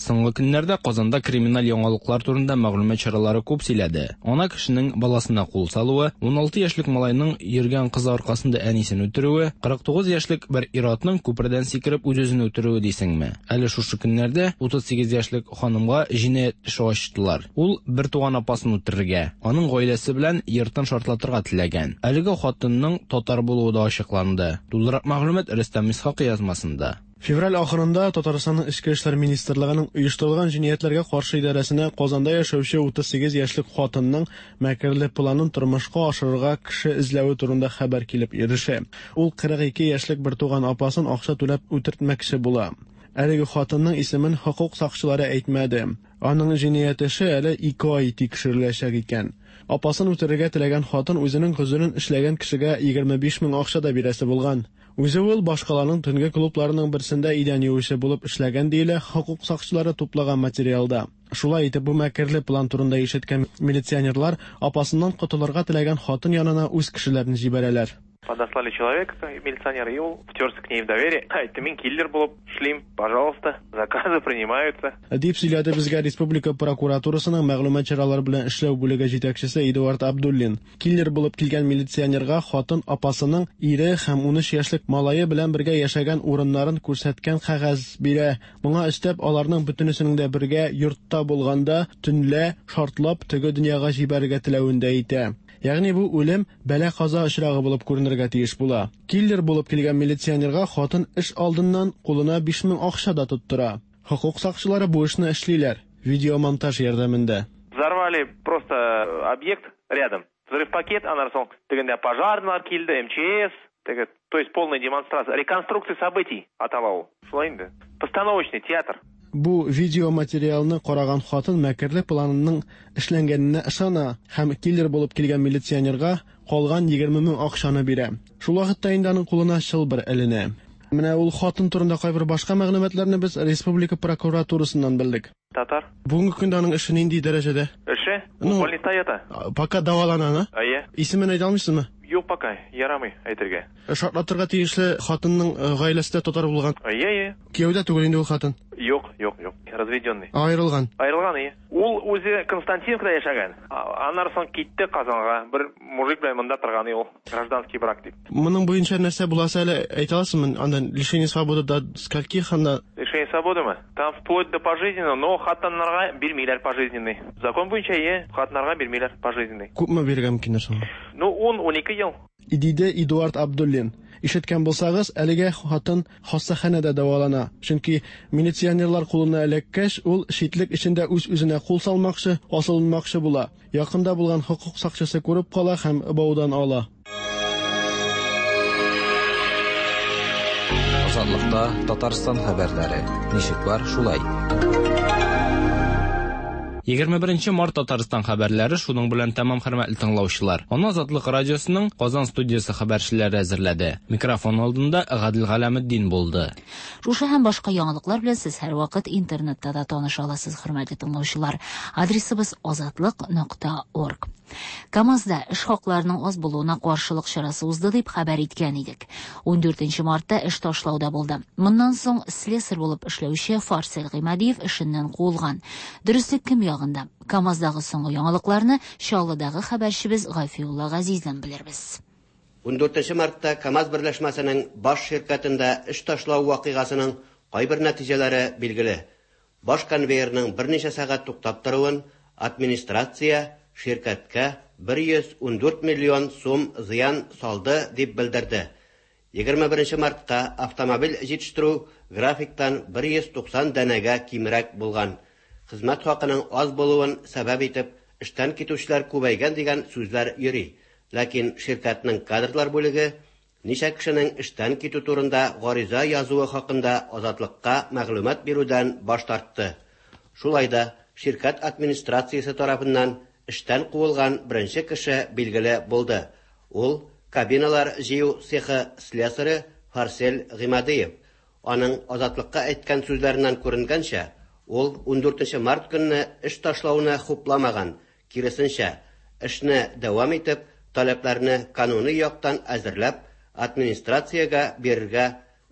Соңгы көннәрдә Казанда криминаль яңалыклар турында мәгълүмат чаралары күп сөйләде. Ана кешенең баласына кул салуы, 16 яшьлек малайның йөргән кызы аркасында әнисен үтерүе, 49 яшьлек бер ир-атның күпердән сикереп үз-үзен үтерүе дисеңме? Әле шушы көннәрдә 38 яшьлек ханымга җинаять эше ачтылар. Ул бертуган апасын үтерергә, аның гаиләсе белән йортын шартлатырга теләгән. Әлеге хатынның татар булуы да ачыкланды. Тулырак мәгълүмат Рөстәм Исхакый язмасында. Февраль ахырында Татарстанның Эчке эшләр министрлыгының оештырылган җинаятьләргә каршы идарәсенә Казанда яшәүче 38 яшьлек хатынның мәкерле планын тормышка ашырырга кеше эзләве турында хәбәр килеп ирешә. Ул 42 яшьлек бертуган апасын акча түләп үтертмәкче була. Әлеге хатынның исемен хокук сакчылары әйтмәде. Аның җинаять эше әле 2 ай тикшереләчәк икән. Апасын үтерергә теләгән хатын үзенең гозерен эшләгән кешегә 25 мең акча да бирәсе булган. Үзе ул башкаланың төнге клубларының берсендә идән юучы булып эшләгән диелә хокук сакчылары туплаган материалда. Шулай итеп, бу мәкерле план турында ишеткән милиционерлар апасыннан котылырга теләгән хатын янына үз кешеләрен җибәрәләр. Подослали человека, милиционер, и ул втерся к ней в доверие. Әйтте, мин киллер булып эшлим, пожалуйста, заказы принимаются. Дип сөйләде безгә республика прокуратурасының мәгълүмат чаралары белән эшләү бүлеге җитәкчесе Эдуард Абдуллин. Киллер булып килгән милиционерга хатын апасының ире һәм 13 яшьлек малае белән бергә яшәгән урыннарын күрсәткән кәгазь бирә. Моңа өстәп, аларның бөтенесенең дә бергә йортта булганда төнлә шартлап теге дөньяга җибәрергә теләвен дә әйтә. Ягъни бу үлем бәла-каза очрагы булып күренергә тиеш була. Киллер булып килгән милиционерга хатын эш алдыннан кулына 5000 акча да тоттыра. Хокук сакчылары бу эшне эшлиләр видеомонтаж ярдәмендә. Взорвали просто объект рядом. Взрыв пакет, аннан соң тегендә пожарныйлар килде, МЧС, теге, то есть полная демонстрация, реконструкция событий атала ул. Шулай инде. Постановочный театр. Бу видеоматериалны караган хатын мәкерле планының эшләнгәненә ышана һәм киллер булып килгән милиционерга калган 20 мең акчаны бирә. Шул вакытта инде аның кулына чылбыр эленә. Менә ул хатын турында кайбер башка мәгълүматларны без республика прокуратурасыннан белдек. Татар. Бүгенге көндә аның эше нинди дәрәҗәдә? Эше? Ну, больниста ята. Пока дәвалана, на? Әйе. Исемен әйтә алмыйсызмы? Юк, пока, ярамый әйтергә. Шартлатырга тиешле хатынның гаиләсе дә татар булган. Әйе, әйе. Кияүдә түгел инде ул хатын. Юк, юк, юк. Разведенный. Аерылган. Аерылган, әйе. Ул үзе Константиновкада яшәгән. Аннан соң китте Казанга. Бер мужик белән монда торган ул. Гражданский брак дип. Моның буенча нәрсә буласы әле әйтә аласызмы? Анда лишение свободы до скольких анда? Лишение свободымы? Там вплоть до пожизненного, но хатыннарга бирмиләр пожизненный. Закон буенча, әйе, хатыннарга бирмиләр пожизненный. Күпме бирергә мөмкиннәр соң? Ну, 10-12 ел. Диде Эдуард Абдуллин. Ишеткән булсагыз, әлегә хатын хастаханәдә дәвалана. Чөнки милиционерлар кулына эләккәч, ул читлек эчендә үз-үзенә кул салмакчы, асылынмакчы була. Якында булган хокук сакчысы күреп кала һәм баудан ала. Азатлыкта Татарстан хәбәрләре. Ничек бар, шулай. 21 март Татарстан хәбәрләре шуның белән тәмам, хөрмәтле тыңлаучылар. Аны Азатлык радиосының Казан студиясе хәбәрчеләре әзерләде. Микрофон алдында Гадел Галәметдин булды. Шушы һәм башка яңалыклар белән сез һәрвакыт интернетта да таныша аласыз, хөрмәтле тыңлаучылар. Адресыбыз azatliq.org. КАМАЗда эш хакларының аз булуына каршылык чарасы узды дип хәбәр иткән идек. 14 мартта эш ташлауда булды. Моннан соң слесарь булып эшләүче Фарсел Гыймадиев эшеннән куылган. Дөреслек кем ягында? КАМАЗдагы соңгы яңалыкларны Чаллыдагы хәбәрчебез Гафиулла Газиздән белербез. 14 мартта КАМАЗ берләшмәсенең баш ширкәтендә эш ташлау вакыйгасының кайбер нәтиҗәләре билгеле. Баш конвейерның берничә сәгать туктап торуын администрация ширкәткә 114 миллион сум зыян салды дип белдерде. 21 мартка автомобиль җитештерү графиктан 190 данәгә кимрәк булган. Хезмәт хакының аз булуын сәбәп итеп, эштән китүчеләр күбәйгән дигән сүзләр йөри. Ләкин ширкәтнең кадрлар бүлеге ничә кешенең эштән китү турында гариза язуы хакында Азатлыкка мәгълүмат бирүдән баш тартты. Шулай да ширкәт администрациясе тарафыннан эштән куылган беренче кеше билгеле булды. Ул кабиналар җыю цехы слесаре Фарсель Гыймадиев. Аның Азатлыкка әйткән сүзләреннән күренгәнчә, ул 14 март көнне эш ташлауны хупламаган, киресенчә, эшне дәвам итеп, таләпләрне кануни яктан әзерләп, администрациягә бирергә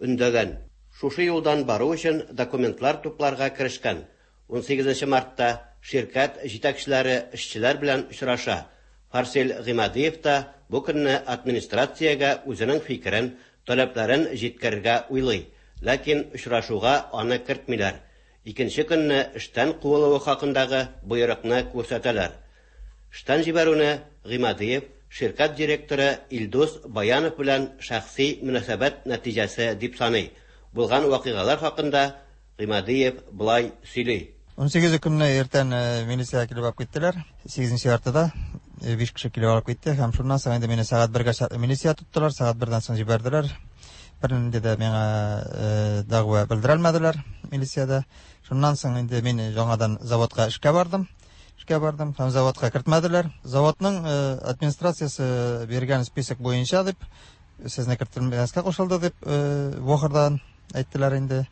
өндәгән. Шушы юлдан бару өчен документлар тупларга керешкән. 18 мартта ширкәт җитәкчеләре эшчеләр белән очраша. Фарсель Гыймадиев та бу көнне администрациягә үзенең фикерен, таләпләрен җиткерергә уйлый. Ләкин очрашуга аны кертмиләр. Икенче көнне эштән куылуы хакындагы боерыкны күрсәтәләр. Эштән җибәрүне Гыймадиев ширкәт директоры Илдус Баянов белән шәхси мөнәсәбәт нәтиҗәсе дип саный. Булган вакыйгалар хакында Гыймадиев болай сөйли. 18 көнне иртән милиция килеп алып киттеләр. 8 яртыда 5 кеше килеп алып китте һәм шуннан соң инде мине сәгать 1гә чаклы милиция тоттылар, сәгать 1дән соң җибәрделәр. Бернинди дә миңа дәгъва белдерелмәделәр милициядә. Шуннан соң инде мин яңадан заводка эшкә бардым. Эшкә бардым һәм заводка кертмәделәр. Заводның администрациясе биргән список буенча дип, сезне кертелмәскә кушылды дип, ВОХРдан әйттеләр инде.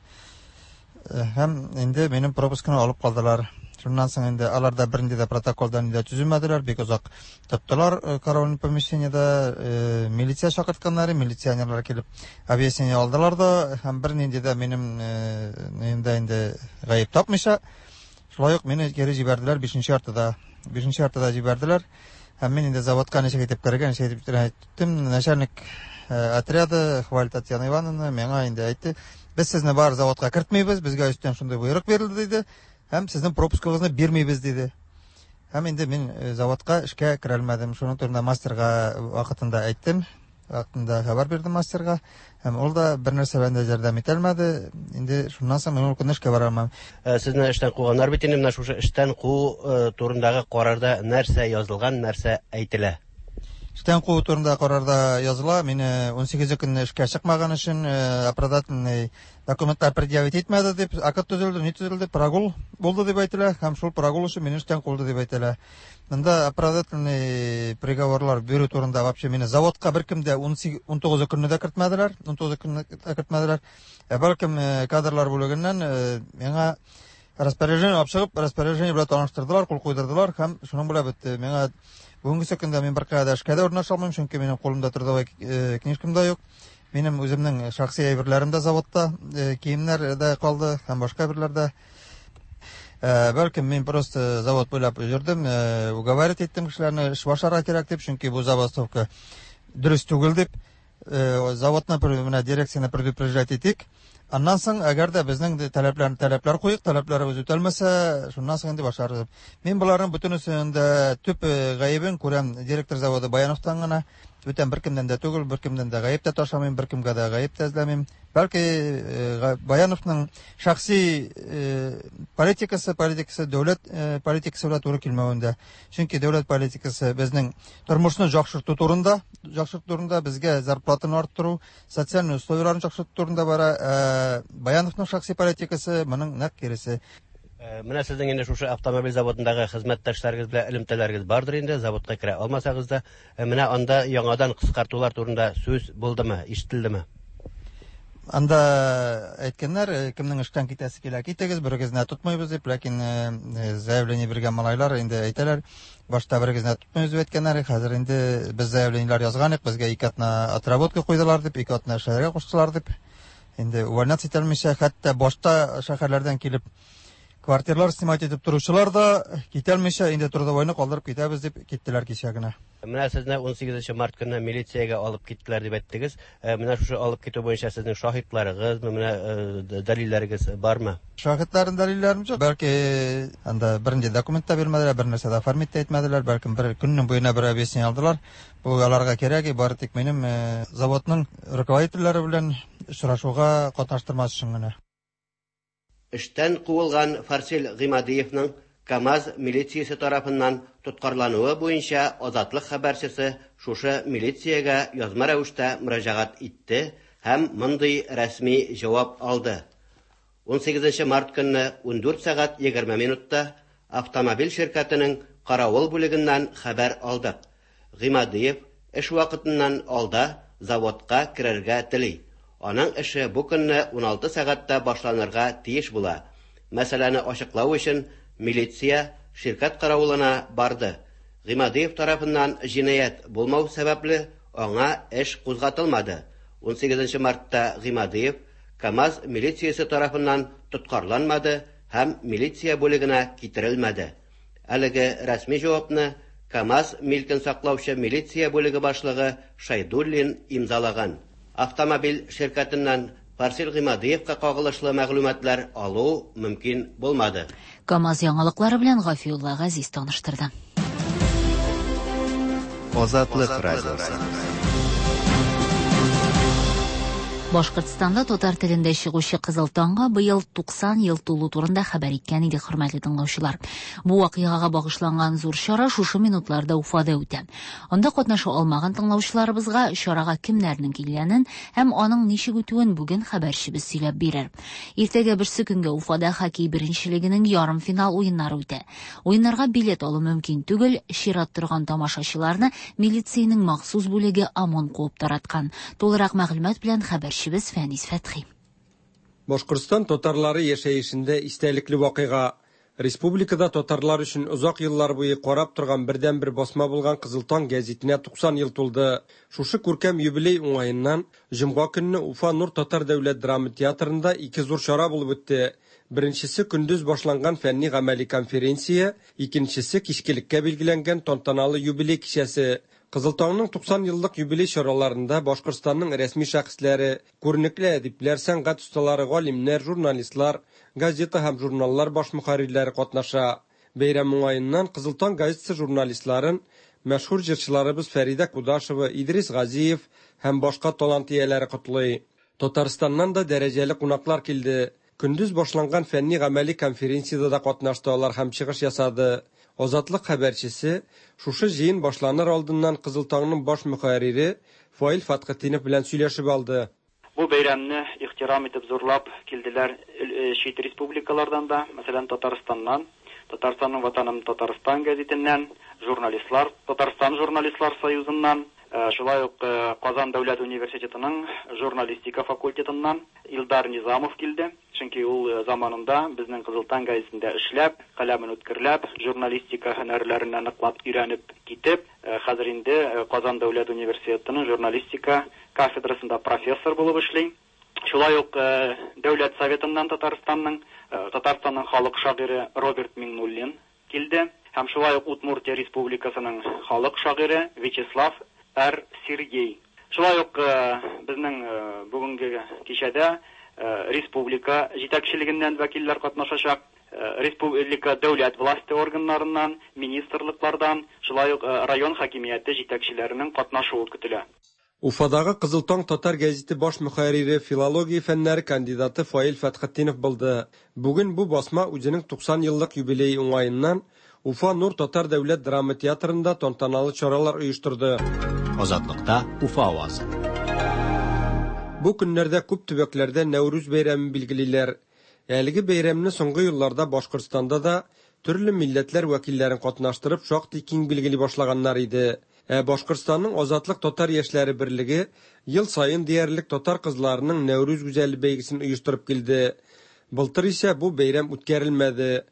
Һәм инде минем пропускны алып калдылар. Шуннан соң инде алар да бернинди дә протоколдан да төземәделәр, бик озак тоттылар караульный помещениедә, милиция чакыртканнар, милиционерлар килеп объяснение алдылар да, һәм бернинди дә минем инде инде гаеп тапмыйча, шулай ук мине кире җибәрделәр 5 яртыда. 5 яртыда җибәрделәр. Һәм мин инде заводка ничек итеп керергә, ничек итеп әйттем, начальник отряда Хваль Татьяна Ивановна миңа инде әйтте, без сезне бар заводка кертмибез, безгә өстән шундый боерык бирелде диде, һәм сезнең пропускыгызны бирмибез диде. Һәм инде мин заводка эшкә керә алмадым. Шуның турында мастерга вакытында әйттем, вакытында хәбәр бирдем мастерга, һәм ул да бер нәрсә белән дә ярдәм итә алмады. Инде шуннан соң мин ул көнне эшкә бара алмам. Сезне эштән куганнар бит инде, менә шушы эштән куу турындагы карарда нәрсә язылган, нәрсә әйтелә? Эштән куу турында карарда языла, мине 18 көнне эшкә чыкмаган өчен оправдательный документлар предъявить итмәде дип, акт төзелде, ни төзелде, прогул булды дип әйтелә, һәм шул прогул өчен мине эштән куылды дип әйтелә. Монда оправдательный приговорлар бирү турында вообще мине заводка беркем дә 19 көнне дә кертмәделәр, 19 көнне дә кертмәделәр. Ә бәлкем кадрлар бүлегеннән миңа распоряжение алып чыгып, распоряжение белән таныштырдылар, кул куйдырдылар һәм шуның белән бетте. Миңа бүгенге көндә мин беркая да эшкә дә урнаша алмыйм, чөнки минем кулымда трудовой книжкам да юк. Минем үземнең шәхси әйберләрем дә заводта, киемнәр дә калды һәм башка әйберләр дә. Бәлкем мин просто завод буйлап йөрдем, уговаривать иттем кешеләрне, эш башларга кирәк дип, чөнки бу забастовка дөрес түгел дип, заводны менә дирекцияне предупреждать итик. Аннан соң, әгәр дә безнең таләпләр, таләпләр куйык, таләпләребез үтәлмәсә, шуннан соң инде башларбыз. Мин боларның бөтенесен дә төп гаебен күрәм директор заводы Баяновтан гына. Бүтән беркемнән дә түгел, беркемнән дә гаеп тә ташламыйм, беркемгә дә гаеп тә эзләмим. Бәлки Баяновның шәхси политикасы, политикасы дәүләт политикасы белән туры килмәвендә. Чөнки дәүләт политикасы безнең тормышны яхшырту турында, яхшырту турында, безгә зарплатаны арттыру, социаль условияләрне яхшырту турында бара. Баяновның шәхси политикасы моның нәкъ киресе. Менә сезнең инде шушы автомобиль заводындагы хезмәттәшләрегез белән элемтәләрегез бардыр инде, заводка керә алмасагыз да. Менә анда яңадан кыскартулар турында сүз булдымы, ишетелдеме? Анда әйткәннәр, кемнең эштән китәсе килә, китегез, берегезне тотмыйбыз дип, ләкин заявление биргән малайлар инде әйтәләр, башта берегезне тотмыйбыз дип әйткәннәр, хәзер инде без заявлениеләр язган идек, безгә 2 атна отработка куйдылар дип, 2 атна эшләргә куштылар дип. Инде увольняться итә алмыйча, хәтта башта шәһәрләрдән килеп Квартиралар снимать итеп торучылар да китәлмичә, инде трудовойны калдырып китәбез дип киттеләр кичә генә. Менә сезне 18 март көнне милициягә алып киттеләр дип әйттегез. Менә шушы алып китү буенча сезнең шаһитларыгызмы, менә дәлилләрегез бармы? Шаһитларым, дәлилләрем юк. Бәлки анда бернинди документ та бирмәделәр, бер нәрсә дә оформить тә итмәделәр, бәлкем бер көннең буена бер объяснение алдылар. Бу аларга кирәк, бары тик минем заводның руководительләре белән очрашуга катнаштырмас өчен генә. Эштән куылган Фарсил Гыймадиевның КАМАЗ милициясе тарафыннан тоткарлануы буенча Азатлык хәбәрчесе шушы милициягә язма рәвештә мөрәҗәгать итте һәм мондый рәсми җавап алды. 18 март көнне 14 сәгать 20 минутта автомобиль ширкәтенең каравыл бүлегеннән хәбәр алдык. Гыймадиев эш вакытыннан алда заводка керергә тели. Аның эше бу көнне 16 сәгатьтә башланырга тиеш була. Мәсьәләне ачыклау өчен милиция ширкәт каравылына барды. Гыймадиев тарафыннан җинаять булмау сәбәпле, аңа эш кузгатылмады. 18 мартта Гыймадиев КАМАЗ милициясе тарафыннан тоткарланмады һәм милиция бүлегенә китерелмәде. Әлеге рәсми җавапны КАМАЗ милкен саклаучы милиция бүлеге башлыгы Шайдуллин имзалаган. Автомобиль ширкәтеннән Фарсил Гыймадиевка кагылышлы мәгълүматлар алу мөмкин булмады. КАМАЗ яңалыклары белән Гафиулла Газиз таныштырды. Азатлык радиосы. Башкортстанда татар телендә чыгучы Кызыл таңга быел 90 ел тулу турында хәбәр иткән иде, хөрмәтле тыңлаучылар. Бу вакыйгага багышланган зур чара шушы минутларда Уфада үтә. Анда катнаша алмаган тыңлаучыларыбызга чарага кемнәрнең килгәнен һәм аның ничек үтүен бүген хәбәрчебез сөйләп бирер. Иртәгә берсе көнгә Уфада хоккей беренчелегенең ярымфинал уеннары үтә. Уеннарга билет алу мөмкин түгел, чират торган тамашачыларны милициянең махсус бүлеге ОМОН куып тараткан. Тулырак мәгълүмат белән хәбәрчебез Фәнис Фәтхи. Башкортстан татарлары яшәешендә истәлекле вакыйга. Республикада татарлар өчен озак еллар буе карап торган бердәнбер басма булган Кызыл таң гәзитенә 90 ел тулды. Шушы күркәм юбилей уңаеннан җомга көнне Уфа Нур татар дәүләт драма театрында ике зур чара булып үтте. Беренчесе көндез башланган фәнни гамәли конференция, икенчесе кичкелеккә билгеләнгән тантаналы юбилей кичәсе. Кызыл таңның 90 еллык юбилей чараларында Башкортстанның рәсми шәхесләре, күренекле әдипләр, сәнгать осталары, галимнәр, журналистлар, газета һәм журналлар баш мөхәррирләре катнаша. Бәйрәм уңаеннан Кызыл таң газетасы журналистларын мәшһүр җырчыларыбыз Фәридә Кудашева, Идрис Газиев һәм башка талант ияләре котлый. Татарстаннан да дәрәҗәле кунаклар килде. Көндез башланган фәнни гамәли конференциядә дә катнашты алар һәм чыгыш ясады. Азатлык хәбәрчесе шушы җыен башланыр алдыннан Кызыл таңның баш мөхәррире Фаил Фәтхетдинов белән сөйләшеп алды. Бу бәйрәмне ихтирам итеп зурлап килделәр чит республикалардан да, мәсәлән, Татарстаннан, Татарстанның Ватаным Татарстан гәзитеннән, журналистлар, Татарстан журналистлар союзыннан, шулай ук Казан дәүләт университетының журналистика факультетыннан Илдар Низамов килде. Чөнки ул заманында безнең Кызыл таң гәзитендә эшләп, каләмен үткерләп, журналистика һөнәрләренә ныклап өйрәнеп китеп, хәзер инде Казан дәүләт университетының журналистика кафедрасында профессор булып эшли. Шулай ук Дәүләт советыннан Татарстанның халык шагыйре Роберт Миңнуллин килде һәм шулай ук Удмуртия Республикасының халык шагыйре Вячеслав Р. Сергей. Шулай ук безнең бүгенге кичәдә республика җитәкчелегеннән вәкилләр катнашачак, республика дәүләт власте органнарыннан, министрлыклардан, шулай ук район хакимияте җитәкчеләренең катнашуы көтелә. Уфадагы Кызыл таң татар гәзите баш мөхәррире, филология фәннәре кандидаты Фаил Фәтхетдинов булды. Бүген бу басма үзенең 90 еллык юбилее уңаеннан Уфа Нур татар дәүләт драма театрында тантаналы чаралар оештырды. Азатлыкта Уфа авазы. Бу көннәрдә күп төбәкләрдә Нәүрүз бәйрәмен билгелиләр. Әлеге бәйрәмне соңгы елларда Башкортстанда да төрле милләтләр вәкилләрен катнаштырып шактый киң билгели башлаганнар иде. Ә Башкортстанның Азатлык татар яшьләре берлеге ел саен диярлек татар кызларының Нәүрүз гүзәле бәйгесен оештырып килде. Былтыр исә бу бәйрәм үткәрелмәде.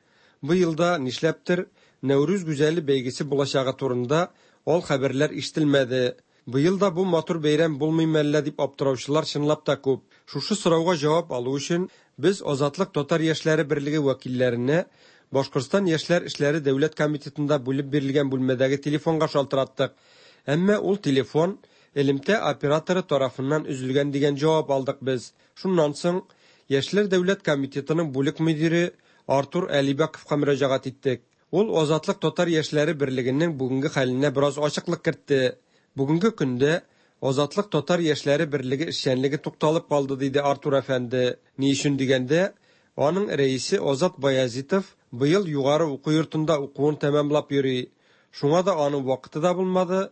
Бу елда нишләптер Нәүрүз гүзәле бәйгесе булачагы турында ал хәбәрләр ишетелмәде. Быел да бу матур бәйрәм булмый мәллә дип аптыраучылар чынлап та күп. Шушы сорауга җавап алу өчен Без Азатлык татар яшьләре берлеге вәкилләренә Башкортстан яшьләр эшләре дәүләт комитетында бүлеп бирелгән бүлмәдәге телефонга шалтыраттык. Әмма ул телефон элемтә операторы тарафыннан өзелгән дигән җавап алдык без. Шуннан соң Яшьләр дәүләт комитетының бүлек мөдире Артур Әлибәковка мөрәҗәгать иттек. Ул Азатлык татар яшьләре берлегенең бүгенге хәленә бераз ачыклык кертте. Бүгенге көндә Азатлык татар яшьләре берлеге эшчәнлеге тукталып калды, диде Артур әфәнде. Ни өчен дигәндә, аның рәисе Азат Баязитов быел югары уку йортында укуын тәмамлап йөри. Шуңа да аның вакыты да булмады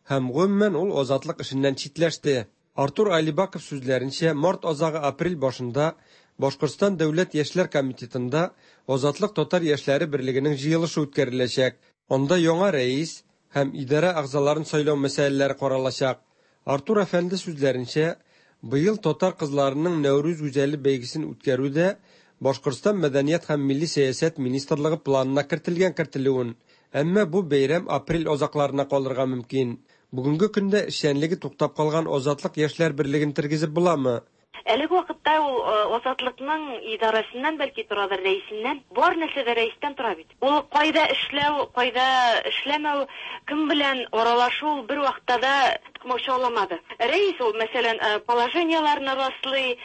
һәм гомумән ул Азатлык эшеннән читләште. Артур Алибаков сүзләренчә, март азагы-апрель башында Башкортстан дәүләт яшьләр комитетында Азатлык татар яшьләре берлегенең җыелышы үткәреләчәк. Анда яңа рәис һәм идарә әгъзаларын сайлау мәсьәләләре каралачак. Артур әфәнде сүзләренчә, быел татар кызларының Нәүрүз гүзәле бәйгесен үткәрү дә Башкортстан мәдәният һәм милли сәясәт министрлыгы планына кертелгән кертелүен, әмма бу бәйрәм апрель азакларына калырга мөмкин. Бүгенге көндә эшчәнлеге туктап калган Азатлык яшьләр берлеген тергезеп буламы? Әлеге вакытта ул Азатлыкның идарәсеннән бәлки торадыр, рәисеннән. Бар нәрсә дә рәистән тора бит. Ул кайда эшләү, кайда эшләмәү, кем белән аралашу ул бер вакытта да комачауламады. Рәис ул, мәсәлән, положениеләрне раслый,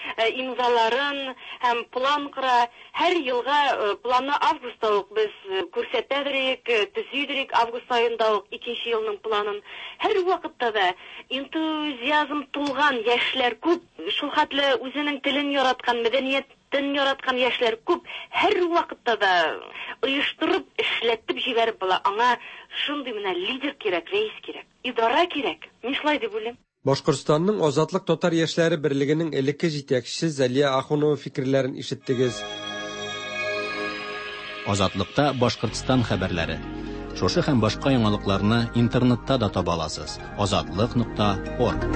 имзаларын һәм план кора. Һәр елга планны августта ук без күрсәтәдерик, төзидерик август аенда ук икенче елның планын. Һәр вакытта да энтузиазм тулган яшьләр күп, шул хәтле үзенең телен яраткан, мәдәниятен яраткан яшьләр күп. Һәр вакытта да оештырып, эшләтеп җибәреп була. Аңа шундый менә лидер кирәк, рәис кирәк, идара кирәк. Мин шулай дип уйлыйм. Башкортстанның Азатлык татар яшьләре берлегенең элекке җитәкчесе Зәлия Ахунова фикерләрен ишеттегез. Азатлыкта Башкортстан хәбәрләре. Шушы һәм башка яңалыкларны интернетта да таба аласыз. Азатлык.орг.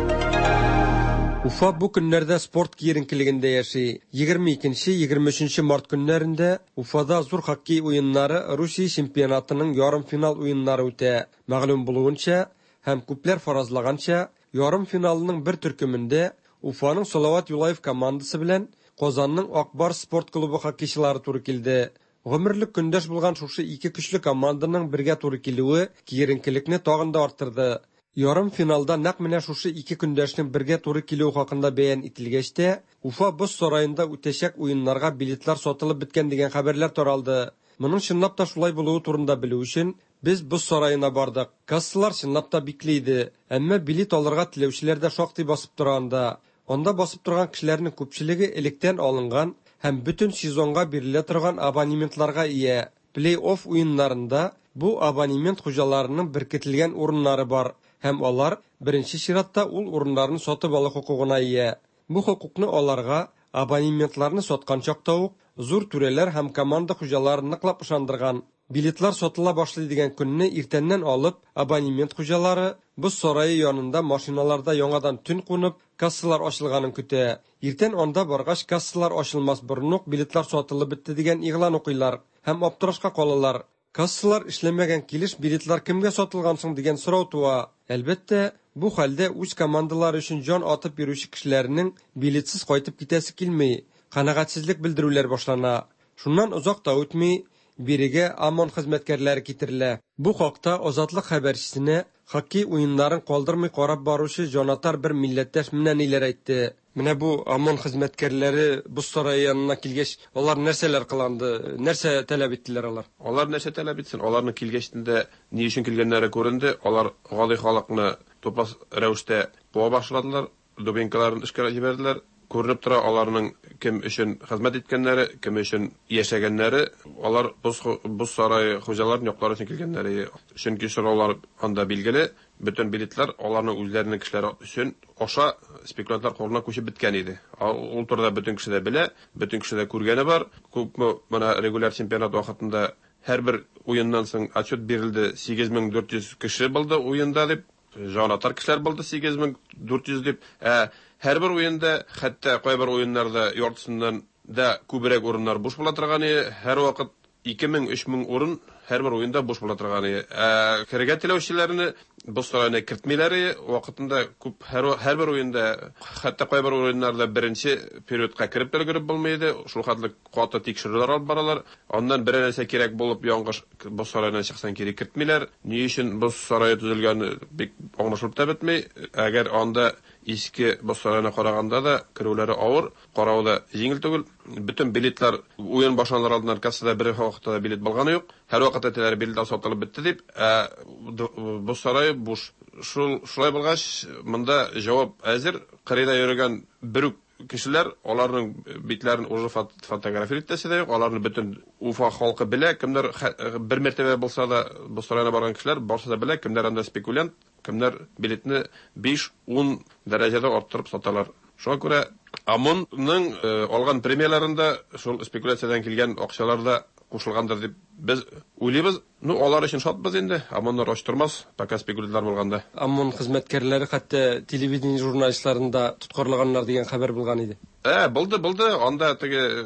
Уфа бу көннәрдә спорт киеренкелегендә яши. 22-23 март көннәрендә Уфада зур хоккей уеннары Русия чемпионатының ярымфинал уеннары үтә. Мәгълүм булуынча һәм күпләр фаразлаганча, ярымфиналның бер төркемендә Уфаның Салават Юлаев командасы белән Казанның Ак Барс спорт клубы хоккейчылары туры килде. Гомерлек көндәш булган шушы ике көчле команданың бергә туры килүе киеренкелекне тагын да арттырды. Ярымфиналда нәкъ менә шушы ике көндәшнең бергә туры килүе хакында бәян ителгәч тә, Уфа боз сараенда үтәчәк уеннарга билетлар сатылып беткән дигән хәбәрләр таралды. Моның чынлап та шулай булуы турында белү өчен, без боз сараена бардык. Кассалар чынлап та бикле иде. Әмма билет алырга теләүчеләр дә шактый басып тора анда. Анда басып торган кешеләрнең күпчелеге электән алынган һәм бөтен сезонга бирелә торган абонементларга ия. Плей-офф уеннарында бу абонемент хуҗаларының беркетелгән урыннары бар һәм алар беренче чиратта ул урыннарны сатып алу хокукына ия. Бу хокукны аларга абонементларны саткан чакта ук зур түрәләр һәм команда хуҗалары ныклап ышандырган. Билетлар сатыла башлый дигән көнне иртәннән алып, абонемент хуҗалары боз сарае янында машиналарда яңадан төн кунып, кассалар ачылганын көтә. Иртән анда баргач, кассалар ачылмас борын ук билетлар сатылып бетте дигән игълан укыйлар һәм аптырашка калалар. Кассалар эшләмәгән килеш билетлар кемгә сатылган соң дигән сорау туа. Әлбәттә, бу хәлдә үз командалары өчен җан атып йөрүче кешеләрнең билетсыз кайтып китәсе килми, канәгатьсезлек белдерүләр башлана. Шуннан озак та үтми, бирегә ОМОН хезмәткәрләре китерелә. Бу хакта Азатлык хәбәрчесенә хоккей уеннарын калдырмый карап баручы җанатар бер милләттәш менә ниләр әйтте. Менә бу ОМОН хезмәткәрләре боз сарае янына килгәч, алар нәрсәләр кыланды, нәрсә таләп иттеләр алар? Алар нәрсә таләп итсен? Аларның килгәчтен дә ни өчен килгәннәре күренде. Алар гади халыкны тупас рәвештә куа башладылар, дубинкаларын эшкә җибәрделәр. Күренеп тора, аларның кем өчен хезмәт иткәннәре, кем өчен яшәгәннәре, алар боз, боз сарае хуҗаларын яклар өчен килгәннәре. Чөнки сораулар анда билгеле, бөтен билетлар аларның үзләренең кешеләре өчен аша спекулянтлар кулына күчеп беткән иде. Ул турыда бөтен кеше дә белә, бөтен кеше дә күргәне бар. Күпме менә регуляр чемпионат вакытында һәрбер уеннан соң отчет бирелде, 8400 кеше булды уенда дип, җанатар кешеләр булды 8400 дип. Ә һәрбер уенда, хәтта кайбер уеннарда яртысыннан да күбрәк урыннар буш була торган иде. Һәрвакыт 2000-3000 урын һәрбер уенда буш була торган иде. Ә керергә теләүчеләрне Боз сараена кертмиләр иде. Вакытында күп һәр һәрбер уенда, хәтта кайбер уеннарда беренче периодка кереп тә өлгереп булмый иде. Шул хәтле каты тикшерүләр алып баралар. Аннан берәр нәрсә кирәк булып яңгыш боз сараеннан чыксаң кире кертмиләр. Ни өчен боз сарае төзелгәне бик аңлашылып та бетми. Әгәр анда иске боз сараена караганда да керүләре авыр, каравы да җиңел түгел. Бөтен билетлар уен башланыр алдыннан кассада бер вакытта да билет булганы юк. Һәрвакыт әйтәләр, билетлар сатылып бетте дип, ә боз сарае буш. Шул шулай булгач, монда җавап әзер. Кырыйда йөрегән бер үк кешеләр, аларның битләрен уже фотографировать итәсе дә юк, аларны бөтен Уфа халкы белә, кемнәр бер мәртәбә булса да боз сараена барган кешеләр барысы да белә, кемнәр анда спекулянт, кемнәр билетны 5-10 дәрәҗәдә арттырып саталар. Шуңа күрә ОМОНның алган премияләрендә шул спекуляциядән килгән акчалар да кушылгандыр дип без уйлыйбыз. Ну, алар өчен шатбыз инде. ОМОНнар ач тормас, пока спекулянтлар булганда. ОМОН хезмәткәрләре хәтта телевидение журналистларын да тоткарлаганнар дигән хәбәр булган иде. Ә, булды, булды. Анда теге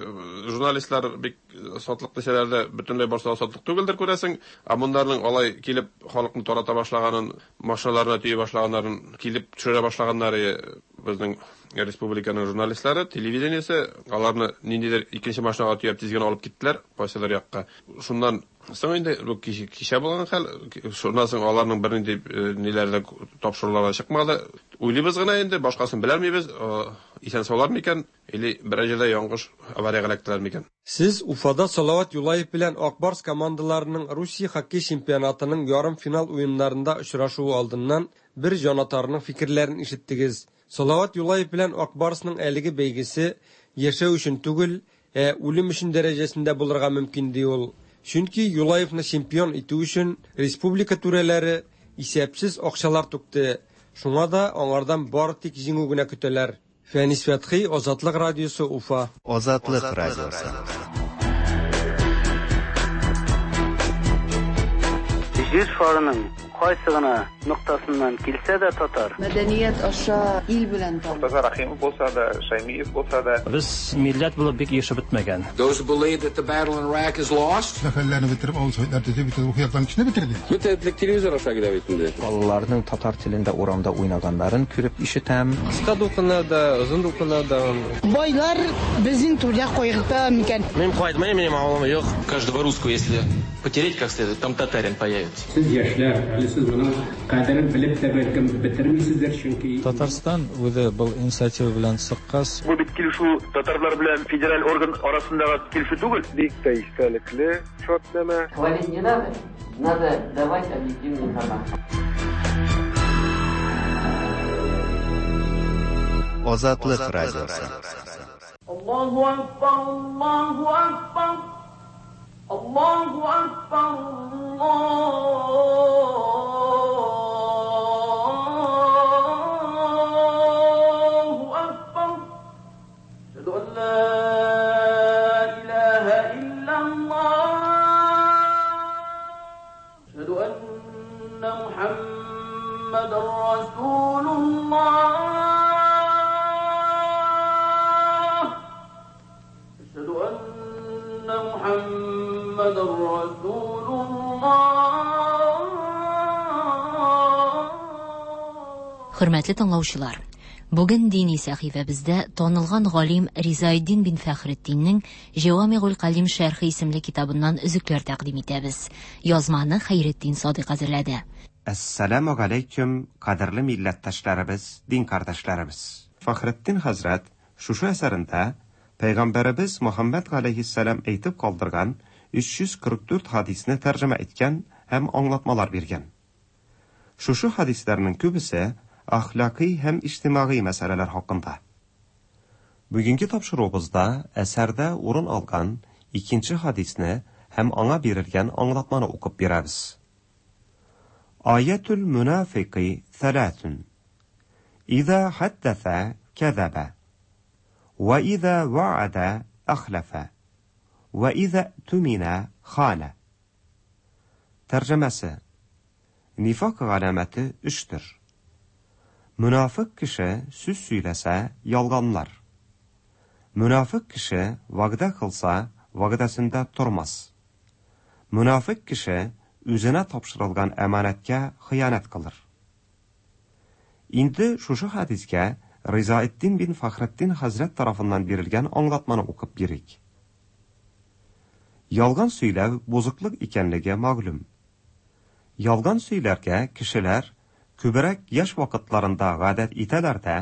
журналистлар бик сатлык дисәләр дә, бөтенләй барсы да сатлык түгелдер, күрәсең. ОМОНнарның алай килеп халыкны тарата башлаганын, машиналарына төйи башлаганнарын, килеп төшерә башлаганнары безнең республиканың журналистлары, телевидениесе, аларны ниндидер икенче машинага төяп тиз генә алып киттеләр, кайсыдыр якка. Шуннан соң инде бу кичә булган хәл, шуннан соң аларның бернинди ниләре дә, тапшырулары да чыкмады. Уйлыйбыз гына инде, башкасын беләлмибез, исән-саулар микән, или берәр җирдә яңгыш авариягә эләктеләр микән. Сез Уфада Салават Юлаев белән Ак Барс командаларының Русия хоккей чемпионатының ярымфинал уеннарында очрашуы алдыннан бер җанатарның фикерләрен ишеттегез. Салават Юлаев белән Ак Барсның әлеге бәйгесе яшәү өчен түгел, ә үлем өчен дәрәҗәсендә булырга мөмкин, ди ул. Чөнки Юлаевны чемпион итү өчен республика түрәләре исәпсез акчалар түкте, шуңа да аңардан бары тик җиңү генә көтәләр. Фәнис Фәтхи, Азатлык радиосы, Уфа. Азатлык радиосы. Җир шарының кайсы гына ноктасыннан килсә дә татар. Мәдәният аша ил белән таныш. Мортаза Рәхимов булса да, Шәймиев булса да. Без милләт булып бик ирешеп бетмәгән. Those who believe that the battle in Iraq is lost. Мәхәлләне бетереп, авыл советлар төзеп, бөтен рухи яктан кешене бетерде. Бөтен этлек телевизор аша килә бит инде. Балаларның татар телендә урамда уйнаганнарын күреп ишетәм. Кыска дулкыннар да, озын дулкыннар да. Байлар безнең түрдә кайгырта микән? Мин кайтмыйм, минем авылым юк. Каждого русского, если потереть как следует, там татарин появится. Сез яшьләр, әле сез моның кадерен белеп тә бәлкем бетермисездер, чөнки. Татарстан үзе был инициатива белән чыккач. Бу бит килешү татарлар белән федераль орган арасындагы килешү түгел. Бик тә истәлекле шартнамә. Хвалить не надо, надо давать объективную информацию. Азатлык радиосы. Аллаһу акбар, Аллаһу акбар, Аллаһу акбар, Аллаһу акбар. Әшһәду ан ла илаһа иллаллаһ. Әшһәду анна Мухаммадан расулуллаһ. Әшһәду анна Мухаммадан расулуллаһ. Хөрмәтле тыңлаучылар, бүген дини сәхифәбездә танылган галим Ризаэддин бин Фәхретдиннең Җәвамигуль Калим шәрхе исемле китабыннан өзекләр тәкъдим итәбез. Язманы Хәйретдин Садыйк әзерләде. Әссәламү галәйкүм, кадерле милләттәшләребез, дин кардәшләребез. Фәхретдин хәзрәт шушы әсәрендә Пәйгамбәребез Мөхәммәд галәйһиссәлам әйтеп калдырган 344 хадисне тәрҗемә иткән һәм аңлатмалар биргән. Шушы хадисләрнең күбесе әхлакый һәм иҗтимагый мәсьәләләр хакында. Бүгенге тапшыруыбызда әсәрдә урын алган икенче хадисне һәм аңа бирелгән аңлатманы укып бирәбез. Аятул мунафикы thalathun. Иза хаддаса кәзәбә. Ва иза ваада ахлафа. Ва иза тумина хана. Тәрҗемәсе. Нифак галәмәте өчтер. Мөнафык кеше сүз сөйләсә, ялганлар. Мөнафык кеше вәгъдә кылса, вәгъдәсендә тормас. Мөнафык кеше үзенә тапшырылган әманәткә хыянәт кылыр. Инде шушы хәдискә Ризаэтдин бин Фәхретдин хәзрәт тарафыннан бирелгән аңлатманы укып бирик. Ялган сөйләү бозыклык икәнлеге мәгълүм. Ялган сөйләргә кешеләр күбрәк яшь вакытларында гадәт итәләр дә,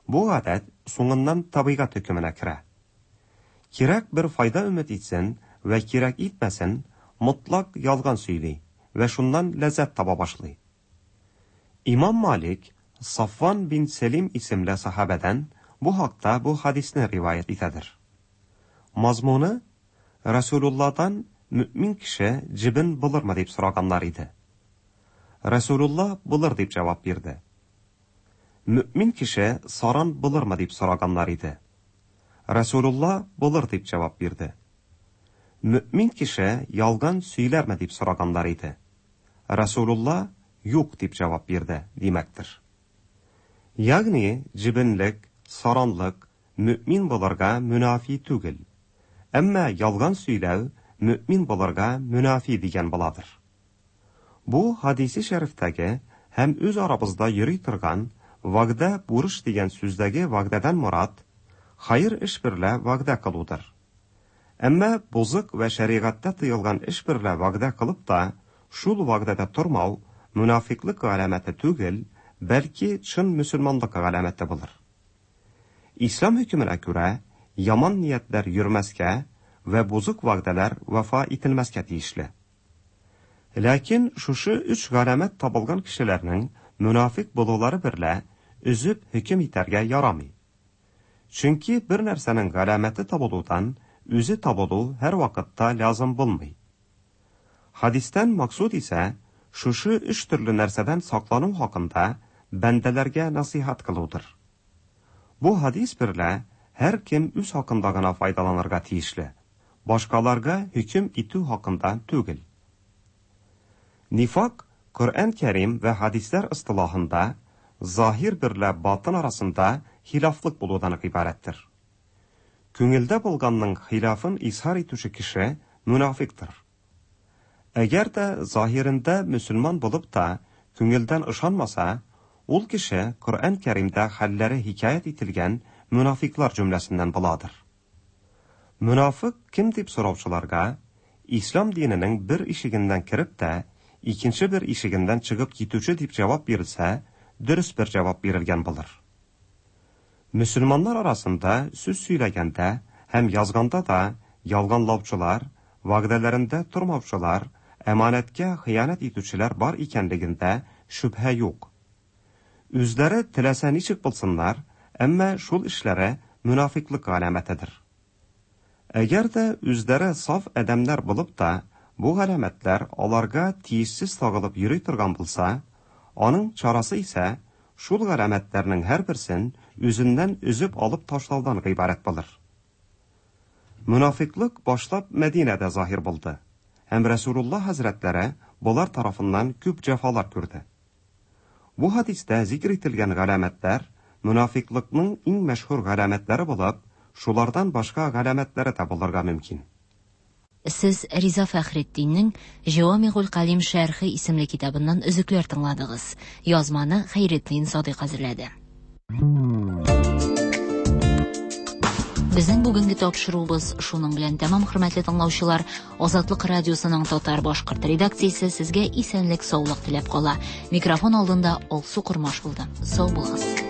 бу гадәт соңыннан табигать хөкеменә керә. Кирәк бер файда өмет итсен вә кирәк итмәсен, мотлак ялган сөйли вә шуннан ләззәт таба башлый. Имам Малик Сафван бин Сәлим исемле сахабәдән бу хакта бу хадисне риваять итәдер. Мазмуны Расулулладан мөэмин кеше җебен булырмы дип сораганнар иде. Расулулла булыр дип җавап бирде. Мөэмин кеше саран булырмы дип сораганнар иде. Расулулла булыр дип җавап бирде. Мөэмин кеше ялган сөйләрме дип сораганнар иде. Расулулла юк дип җавап бирде, димәктер. Ягъни җебенлек, саранлык мөэмин булырга мөнафи түгел. Әмма ялган сөйләү мөэмин булырга мөнафи дигән буладыр. Бу хадисе шәрифтәге һәм үз арабызда йөри торган вәгъдә бурыч дигән сүздәге вәгъдәдән морад хәер эш берлә вәгъдә кылудыр. Әмма бозык вә шәригатьтә тыелган эш берлә вәгъдә кылып та, шул вәгъдәдә тормау мөнафиклык галәмәте түгел, бәлки чын мөселманлык галәмәте булыр. Ислам хөкеменә күрә, яман ниятләр йөрмәскә вә бозык вәгъдәләр вафа ителмәскә тиешле. Ләкин шушы өч галәмәт табылган кешеләрнең мөнафик булулары берлә өзеп хөкем итәргә ярамый. Чөнки бер нәрсәнең галәмәте табылудан үзе табылу һәрвакытта лязым булмый. Хадистән максуд исә шушы өч төрле нәрсәдән саклану хакында бәндәләргә насыйхат кылудыр. Бу хадис берлә һәркем үз хакында гына файдаланырга тиешле, башкаларга хөкем итү хакында түгел. Нифак Коръән Кәрим вә хадисләр ыстылахында заһир берлә батын арасында хилафлык булудан гыйбарәттер. Күңелдә булганның хилафын изһар итүче кеше мөнафиктыр. Әгәр дә заһирендә мөселман булып та күңелдән ышанмаса, ул кеше Коръән Кәримдә хәлләре хикәят ителгән мөнафиклар җөмләсеннән буладыр. Мөнафык кем дип сораучыларга, Ислам диненең бер ишегеннән кереп тә, икенче бер ишегеннән чыгып китүче дип җавап бирелсә, дөрес бер җавап бирелгән булыр. Мөселманнар арасында сүз сөйләгәндә һәм язганда да ялганлаучылар, вәгъдәләрендә тормаучылар, әманәткә хыянәт итүчеләр бар икәнлегендә шөбһә юк. Үзләре теләсә ничек булсыннар, әмма шул эшләре мөнафиклык галәмәтедер. Әгәр дә үзләре саф адәмнәр булып та, бу галәмәтләр аларга тиешсез тагылып йөри торган булса, аның чарасы исә шул галәмәтләрнең һәрберсен үзеннән өзеп алып ташлаудан гыйбарәт булыр. Мөнафиклык башлап Мәдинәдә заһир булды һәм Рәсүлулла хәзрәтләре болар тарафыннан күп җәфалар күрде. Бу хадистә зикр ителгән галәмәтләр мөнафиклыкның иң мәшһүр галәмәтләре булып, шулардан башка галәмәтләре дә булырга мөмкин. Сез Риза Фәхретдиннең Җәвамигуль Калим шәрхе исемле китабыннан өзекләр тыңладыгыз. Язманы Хәйретдин Садыйк әзерләде. Безнең бүгенге тапшыруыбыз шуның белән тәмам, хөрмәтле тыңлаучылар. Азатлык радиосының татар башкорт редакциясе сезгә исәнлек, саулык теләп кала. Микрофон алдында Алсу Кормаш булды. Сау булыгыз.